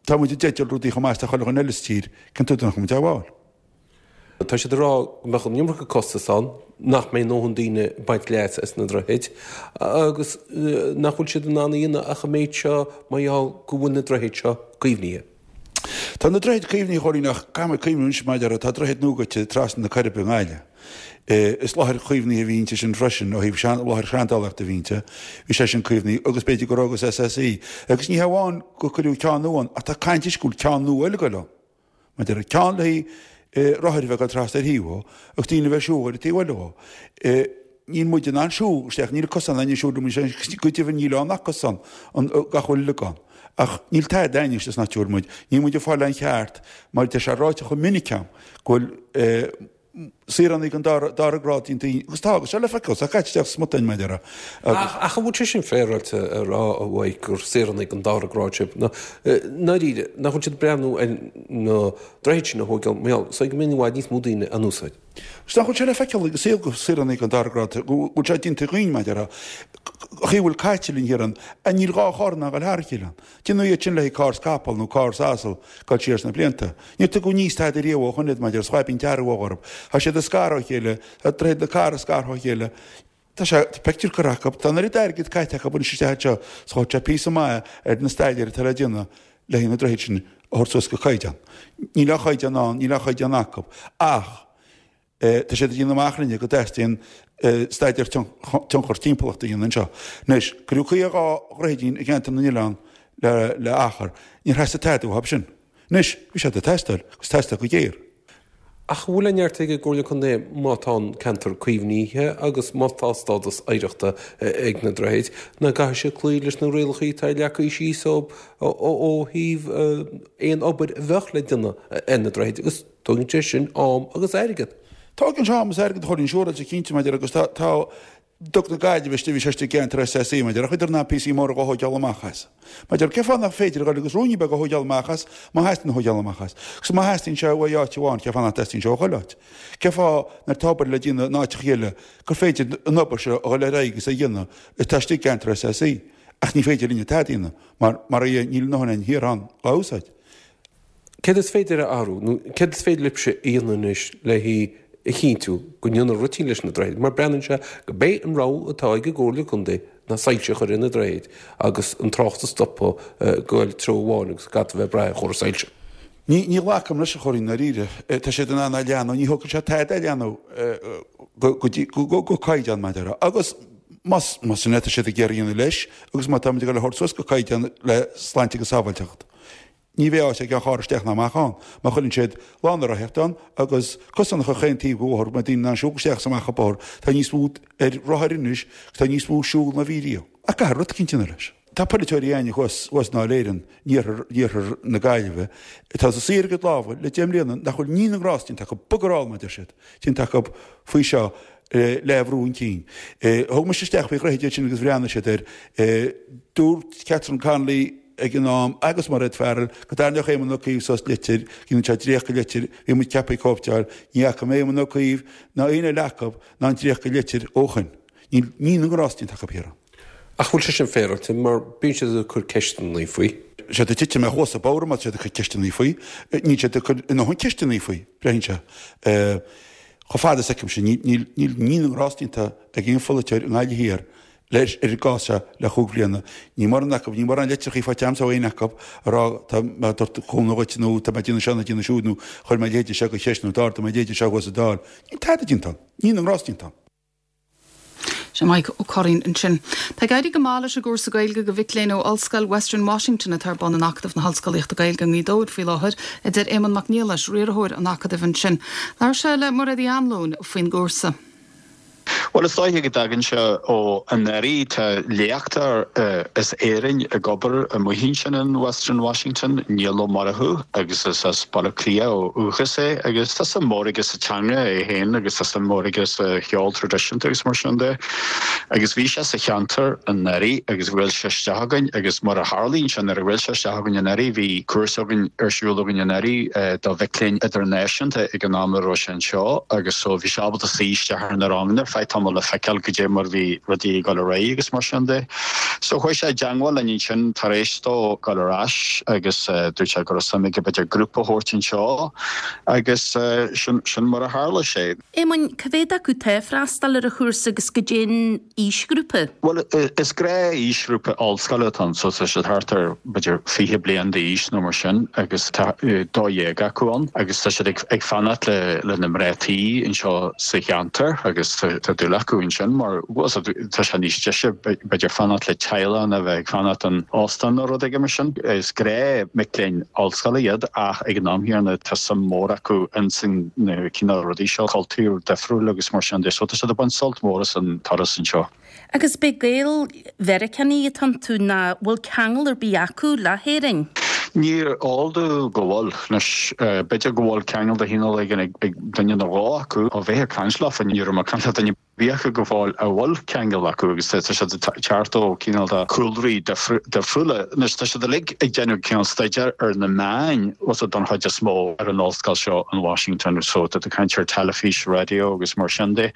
tá muid i dteideal rudaí chomh maith is atá chuile dhuine eile sa tír, cén tuige nach bhfuil muid á bhfáil? Tá siad ag rá go mbeadh an iomarca costas ann, nach mbeidh a ndóthain daoine ag baint leas as na droichid agus nach bhfuil siad in ann a dhéanamh ach an méid seo mar gheall go bhfuil na droichid seo caomhnaithe. Tá na droichid caomhnaithe, a Chóilín, ach caithfidh muid cuimhniú anois maidir le, tá droichead nua goite trasna na Coiribe i nGaillimh. Is láthair chaomhnaithe a bhí inti sin freisin, ó thaobh láthair seandálaíochta a bhí inti. Bhí sé sin caomhnaithe agus b'fhéidir go raibh agus S S E. Agus ní hamháin gur cuireadh ceann nua ann ach tá caint anois go bhfuil ceann nua eile ag goil ann. Maidir le ceann le haghaidh rothair a bheith ag dul trasna ar thaobh dhó agus daoine a bheith ag siúl ar an taobh eile dhó. Níl muid in ann siúl isteach, níl cosán againn siúl liom, go deimhin níl ann ach cosán, gach uile rud ann. Ach níl tada againn anois san áit a bhfuil muid. Níl muid ag fáil an cheart mar tá sé ráite chomh minic agam go bhfuil saoránaigh den dara grád déanta dínn, agus tá, agus seo le feiceáil, tá caite isteach smut againn, mar a déarfá, agus. Ach an bhfuil sé sin féaráilte a rá, a Mhaidhc, gur saoránaigh den dara grád sibh? Nó, i ndáiríre, nach bhfuil siad ag breathnú ar na droichid sin a thógáil mar gheall so go mbeidh i bhfad níos mó daoine á n-úsáid? Agus nach bhfuil sé le feiceáil ag an saol gur saoránaigh den dara grád, go bhfuil sé déanta dhínn, mar a déarfá, an chaoi a bhfuil caite linn thiar ann, níl dhá charr in ann a dhul thar a chéile ann. Déanadh iad sin le haghaidh carr 's capall nó carr 's asal dul siar sna blianta. Níor tugadh aníos tada riamh ó shoin iad maidir is chaibín dearg orthu. Tá siad ag scaradh ó chéile, tá droichead na cathrach scartha ó chéile. Tá sé, tá pictiúr curtha acu, tá an oiread airgid caite acu anois isteach anseo 's chuaigh sé píosa maith ar na staidéir atá le déanamh le haghaidh na droichid sin a thabhairt suas go caighdeán. Níl aon chaighdeán ann, níl aon chaighdeán acu. Ach. Tá siad ag déanamh amach linne go dteastaíonn staidéar tionchar timpeallachta a dhéanamh anseo. Anois, cuireadh caoga dhá dhroichidín i gceantar na n-oileán le achar. Níor theastaigh tada uathu sin. Anois, bhí siad ag teastáil, agus teastáil go géar. Ach an bhfuil an neart ag an gComhairle Contae má tá an ceantar caomhnaithe agus má tá stádas oidhreachta ag na droichid, nach gcaithfidh siad cloí leis na rialacha atá leagtha síos ó thaobh aon obair a bheadh le déanamh ar na droichid agus tógann sé sin am agus airgead. Tógann sé am agus airgead a Chóilín siúráilte cinnte maidir agus tá Duc na Gaillimhe istigh, bhí sé istigh i gceantar SSE, maidir le chuidear na píosaí móra dhá thóigeáil amach as. Maidir, cén fáth nach féidir a dhul agus ruainní beaga a thóigeáil amach as, má theastaíonn a thóigeáil amach as? Agus má theastaíonn sé uaidh áit amháin, cén fáth nach dteastaíonn sé ó chuile áit? Cén fáth nuair atá obair le déanamh in áiteacha eile gur féidir an obair seo a dhul ar aghaidh agus a dhéanamh atá istigh i gceantar SSE? Ach ní féidir linne tada a dhéanamh mar, mar a níl a ndóthain againn thiar ann dhá úsáid. Céard is féidir a athrú nó céard is féidir libhse a dhéanamh anois le a chinntiú go ndéanfar rud éicint leis na droichid? Mar breathnaíonn sé go b'é an rogha atá ag an gComhairle Contae ná soilse a chur ar na droichid agus an trácht a stopadh ag goil treo amháin agus gach a bheith ag brath ar chóras soilse. Ní ní ghlacaim leis a Chóilín i ndáiríre. Tá siad in ann é a leathnú, ní thógfaidh sé tada é a leathnú go go dtí go go caighdeán mar a déarfá. Agus más más sin é atá siad ag iarraidh a dhéanamh leis agus má táimid ag dul a thabhairt suas go caighdeán le sláinte agus sábháilteacht. Ní bheidh áit ag aon charr isteach ná amach ann má chuireann siad lána rothaíochta ann agus cosán a chur chaon taobh de bhóthar go mbeidh daoine in ann siúl isteach is amach an bóthar. Tá níos mó ar rothair anois agus tá níos mó ag siúl ná bhí riamh. Ach caithfear rud eicínt a dhéanamh leis. Tá polaiteoirí againne thuas thuas i nDáil Éireann in iarthar iarthar na Gaillimhe atá ag suí ar a gcuid lámha le deich mbliana nach bhfuil ní na ngrást déanta acu, bugger all mar a deir siad, déanta acu faoi seo le brú chun cinn. Thug mise isteach faoi dhroichid iad sin agus bhreathnaigh siad air. Dúirt Catherine Connolly ag an am agus Mairéad Farrell go dtarraingeodh Éamon Ó Cuív suas litir, go ndéanfadh sé dréacht de litir, bhí muid ceaptha cóipeáil, ní fhaca mé Éamon Ó Cuív ná aon eile acu ná an dréacht de litir ó shoin. Níl ní na ngrást déanta acu thiar ann. Ach bhfuil sé sin féaráilte mar bíonn siad ag cur ceisteanna faoi? Siad ag titim ar chluasa bodhar má tá siad ag cur ceisteanna faoi. Níl siad ag cur a ndóthain ceisteanna faoi, breathnaíonn sé. Chomh fada is a fheicimse, níl ní na ngrást déanta ag aon pholaiteoir i nGaillimh Thiar leis ar an gcás seo le chúig bhliana. Níl mórán acu, níl mórán litreachaí faighte agamsa ó éinne acu ag rá tá mé ag tabhairt cúnamh dhuit nó tá mé ag déanamh seo nó ag déanamh siúd nó chuir mé a leithéide seo de cheist nó d'ardaigh mé a leithéide seo thuas sa Dáil. Níl tada déanta ann. Ní na ngrást déanta ann. Sin Mike Ó Curraoin ansin. Tá ag éirí go maith leis an gcúrsa Gaeilge do mhic léinn ó Ollscoil Western Washington atá ar bun in Acadamh na hOllscolaíochta Gaeilge i nGaoth Dobhair faoi láthair, a deir Éamonn Mac Niallais, riarthóir an Acadaimh ansin. Labhair sé le Mairéad Uí Anluain faoin gcúrsa. Bhuel, is dóiche go dtagann sé ó anuraidh. Tá léachtóir as Éirinn ag obair amuigh ansin in Western Washington, Niall Ó Murchú, agus is as Baile Átha Cliath ó dhúchas é agus tá suim mhór aige sa teanga é féin agus tá suim mhór aige sa cheol traidisiúnta agus mar sin de. Agus bhí sé sa cheantar anuraidh agus bhuail sé isteach chugainn agus mar a tharlaíonn sé nuair a bhuail sé isteach chugainn anuraidh bhí cúrsa againn ar siúl againn anuraidh do mhic léinn idirnáisiúnta ag an am a raibh sé anseo agus so bhí sé ábalta suí isteach ar na ranganna ar feadh tamaill le feiceáil goidé mar bhí rudaí ag dul ar aghaidh agus mar sin de. So chuaigh sé i dteangmháil linn ansin tar éis dó dul ar ais agus dúirt sé go raibh suim aige b'fhéidir grúpa a thabhairt anseo agus sin sin mar a tharla sé. Éamoinn, cá mhéad acu atá ag freastal ar an chúrsa agus goidé an aoisghrúpa? Bhuel, is gnáth-aoisghrúpa ollscoile atá ann so tá siad thart ar b'fhéidir fiche bliain d'aois nó mar sin agus tá dó dhéag acu ann agus tá siad ag fanacht le lena mná tí anseo sa cheantar agus tá dúil acu ansin mar tá sé níos deise b'fhéidir fanacht le teaghlach ná bheith ag fanacht in óstán nó rud éigin mar sin. Is gnáth mic léinn ollscoile iad ach ag an am chéanna tá suim mhór acu ins na cineál rudaí seo, cultúr difriúil agus mar sin de. So tá siad ag baint sult mór as an turas anseo. Agus b'é Gael-Mheiriceánaigh atá iontu nó bhfuil ceangal ar bith acu le hÉirinn? Ní eol domh go bhfuil. Anois, b'fhéidir go bhfuil ceangal de chineál éigin ag duine nó dhó acu. Ó bheith ag caint leofa, ní raibh mé ag caint le duine ar bith acu go fóill a bhfuil ceangal acu agus tá siad ag teacht ó cineál de chúlraí difriúla. Anois, tá siad uilig ag déanamh cineál staidéar ar na meáin, bhfuil fhios don chuid is mó ar an ollscoil seo in Washington so tá tú ag caint ar teilifís, raidió agus mar sin de.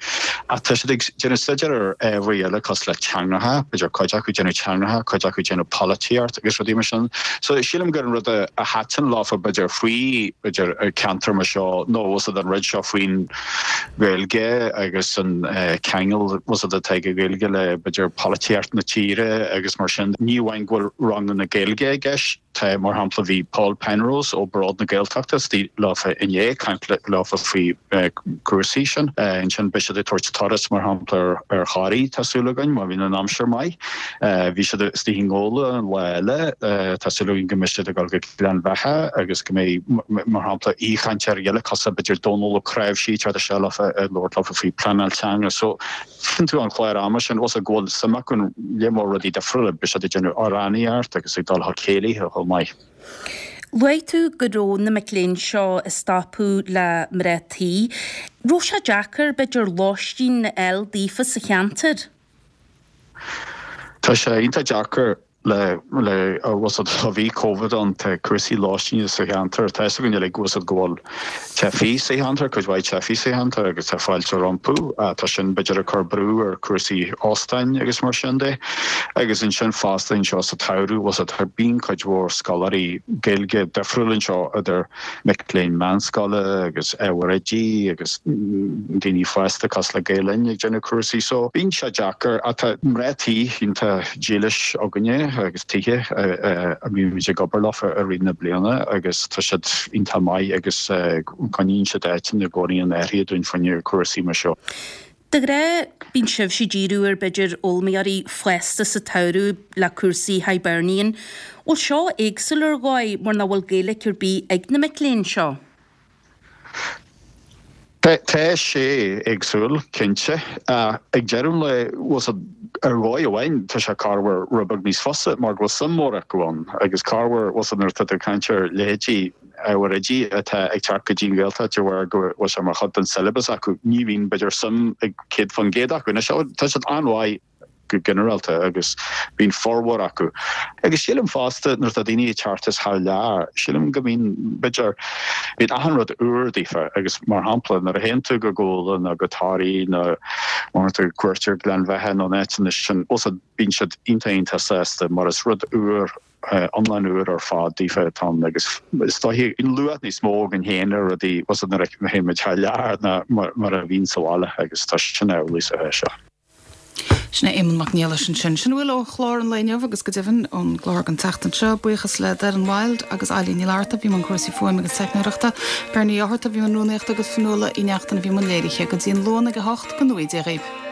Ach tá siad ag déanamh staidéar ar ábhair eile cosúil le teangacha, b'fhéidir cuid acu ag déanamh teangacha, cuid acu ag déanamh polaitíocht agus rudaí mar sin. So sílim gur an rud a thaitin leofa b'fhéidir faoi b'fhéidir ceantar mar seo nó bhfuil fhios an rud seo faoin Ghaeilge agus an ceangal bhfuil fhios atá ag an Ghaeilge le b'fhéidir polaitíocht na tíre agus mar sin. Ní amháin go bhfuil ranganna Gaeilge i gceist, Tá, mar shampla, bhí Paul Penrose ó Bród na Gaeltachta istigh leofa inné ag caint leofa faoi cúrsaí sin. Ansin beidh siad ag tabhairt turas, mar shampla, ar Thoraigh, tá súil againn, má bhíonn an aimsir maith. Bhí siad istigh i nGabhla an lá eile, tá súil againn go mbeidh siad ag dul go Gleann Bheatha agus go mbeidh, mar shampla, aoichainteoirí eile cosúil b'fhéidir Dónal Ó Cnáimhsí ag teacht isteach leofa ag labhairt leofa faoi pleanáil teanga. So, feiceann tú an clár ama sin, bhfuil go bhfuil suim acu in lear mór rudaí difriúla, beidh siad ag déanamh amhránaíocht agus ag dul chuig céilithe chomh maith. Luaigh tú go raibh na mic léinn seo ag stopadh le mná tí. Raibh sé deacair, b'fhéidir, lóistín a fháil daofa sa cheantar? Tá sé iontach deacair le, le, bhfuil fhios a'd, ó bhí Covid ann, tá cúrsaí lóistíne sa cheantar, tá fhios againn uilig, bhfuil fhios a'd, go bhfuil teifigh sa cheantar, cuid mhaith teifigh sa cheantar agus tá fáilte rompu. Tá sin b'fhéidir ag cur brú ar chúrsaí óstáin agus mar sin de. Agus ansin fosta anseo sa tsamhradh, bhfuil fhios a'd, bíonn cuid mhór scoláirí Gaeilge difriúil anseo idir mic léinn meánscoile agus ábhair oidí agus daoine fásta cosúil le Gael Linn ag déanamh cúrsaí so bíonn sé deacair ach tá mná tí iontach dílis againne agus tithe a mbímid ag obair leo i rith na bliana agus tá siad iontach maith agus coinníonn siad áiteanna i gcónaí in áirithe dúinn fá choinne cúrsaí mar seo. De ghnáth, bíonn sibhse ag díriú ar b'fhéidir fhoghlaimeoirí fásta sa tsamhradh le cúrsaí Hibernian. Bhfuil seo éagsúil ar dhóigh mar nach bhfuil Gaeilge ar bith ag na mic léinn seo? Tá sé éagsúil, cinnte. Ach ag deireadh an lae, bhfuil fhios a'd, ar dhóigh amháin, tá sé corruair rud beag níos fusa mar go bhfuil suim mhór acu ann agus corruair, bhfuil fhios a'd, nuair atá tú ag caint ar leithéidí ábhair oidí atá ag teacht go dtí an Ghaeltacht de bharr go bhfuil sé mar chuid den syllabus acu, ní bhíonn, b'fhéidir, suim ag céad faoin gcéad acu. Anois, tá siad an-mhaith go ginearálta agus bíonn formhór acu. Agus sílim fosta nuair atá daoine ag teacht as thar lear, sílim go mbíonn, b'fhéidir, bíonn achan rud úr daofa agus mar shampla nuair a théann tú go Gabhla nó go Toraigh nó má théann tú cuairt ar Ghleann Bheatha nó na áiteanna sin, bhfuil fhios a'd, bíonn siad iontach iontach sásta mar is rud úr iomlán úr ar fad daofa atá ann agus is dóiche luach níos mó againn féin ar rudaí, bhfuil fhios a'd, nuair a théann muid thar lear ná mar a bhíonn sa bhaile agus tá sin amhlaidh sa seo. Sin é Éamonn Mac Niallais ansin. Sin a bhfuil ó chlár an lae inniu agus go deimhin ón gclár don tseachtain seo. Buíochas le Doireann Wilde agus Eilín Ní Fhlatharta a bhí i mbun cúrsaí fuaime agus teicneoireachta, Bernie Ó hEarta a bhí i mbun rúnaíochta agus Fionnuala Uí Neachtain a bhí i mbun léirithe. Go dtí an Luan ag a hocht, go ngnóthaí Dia dhaoibh.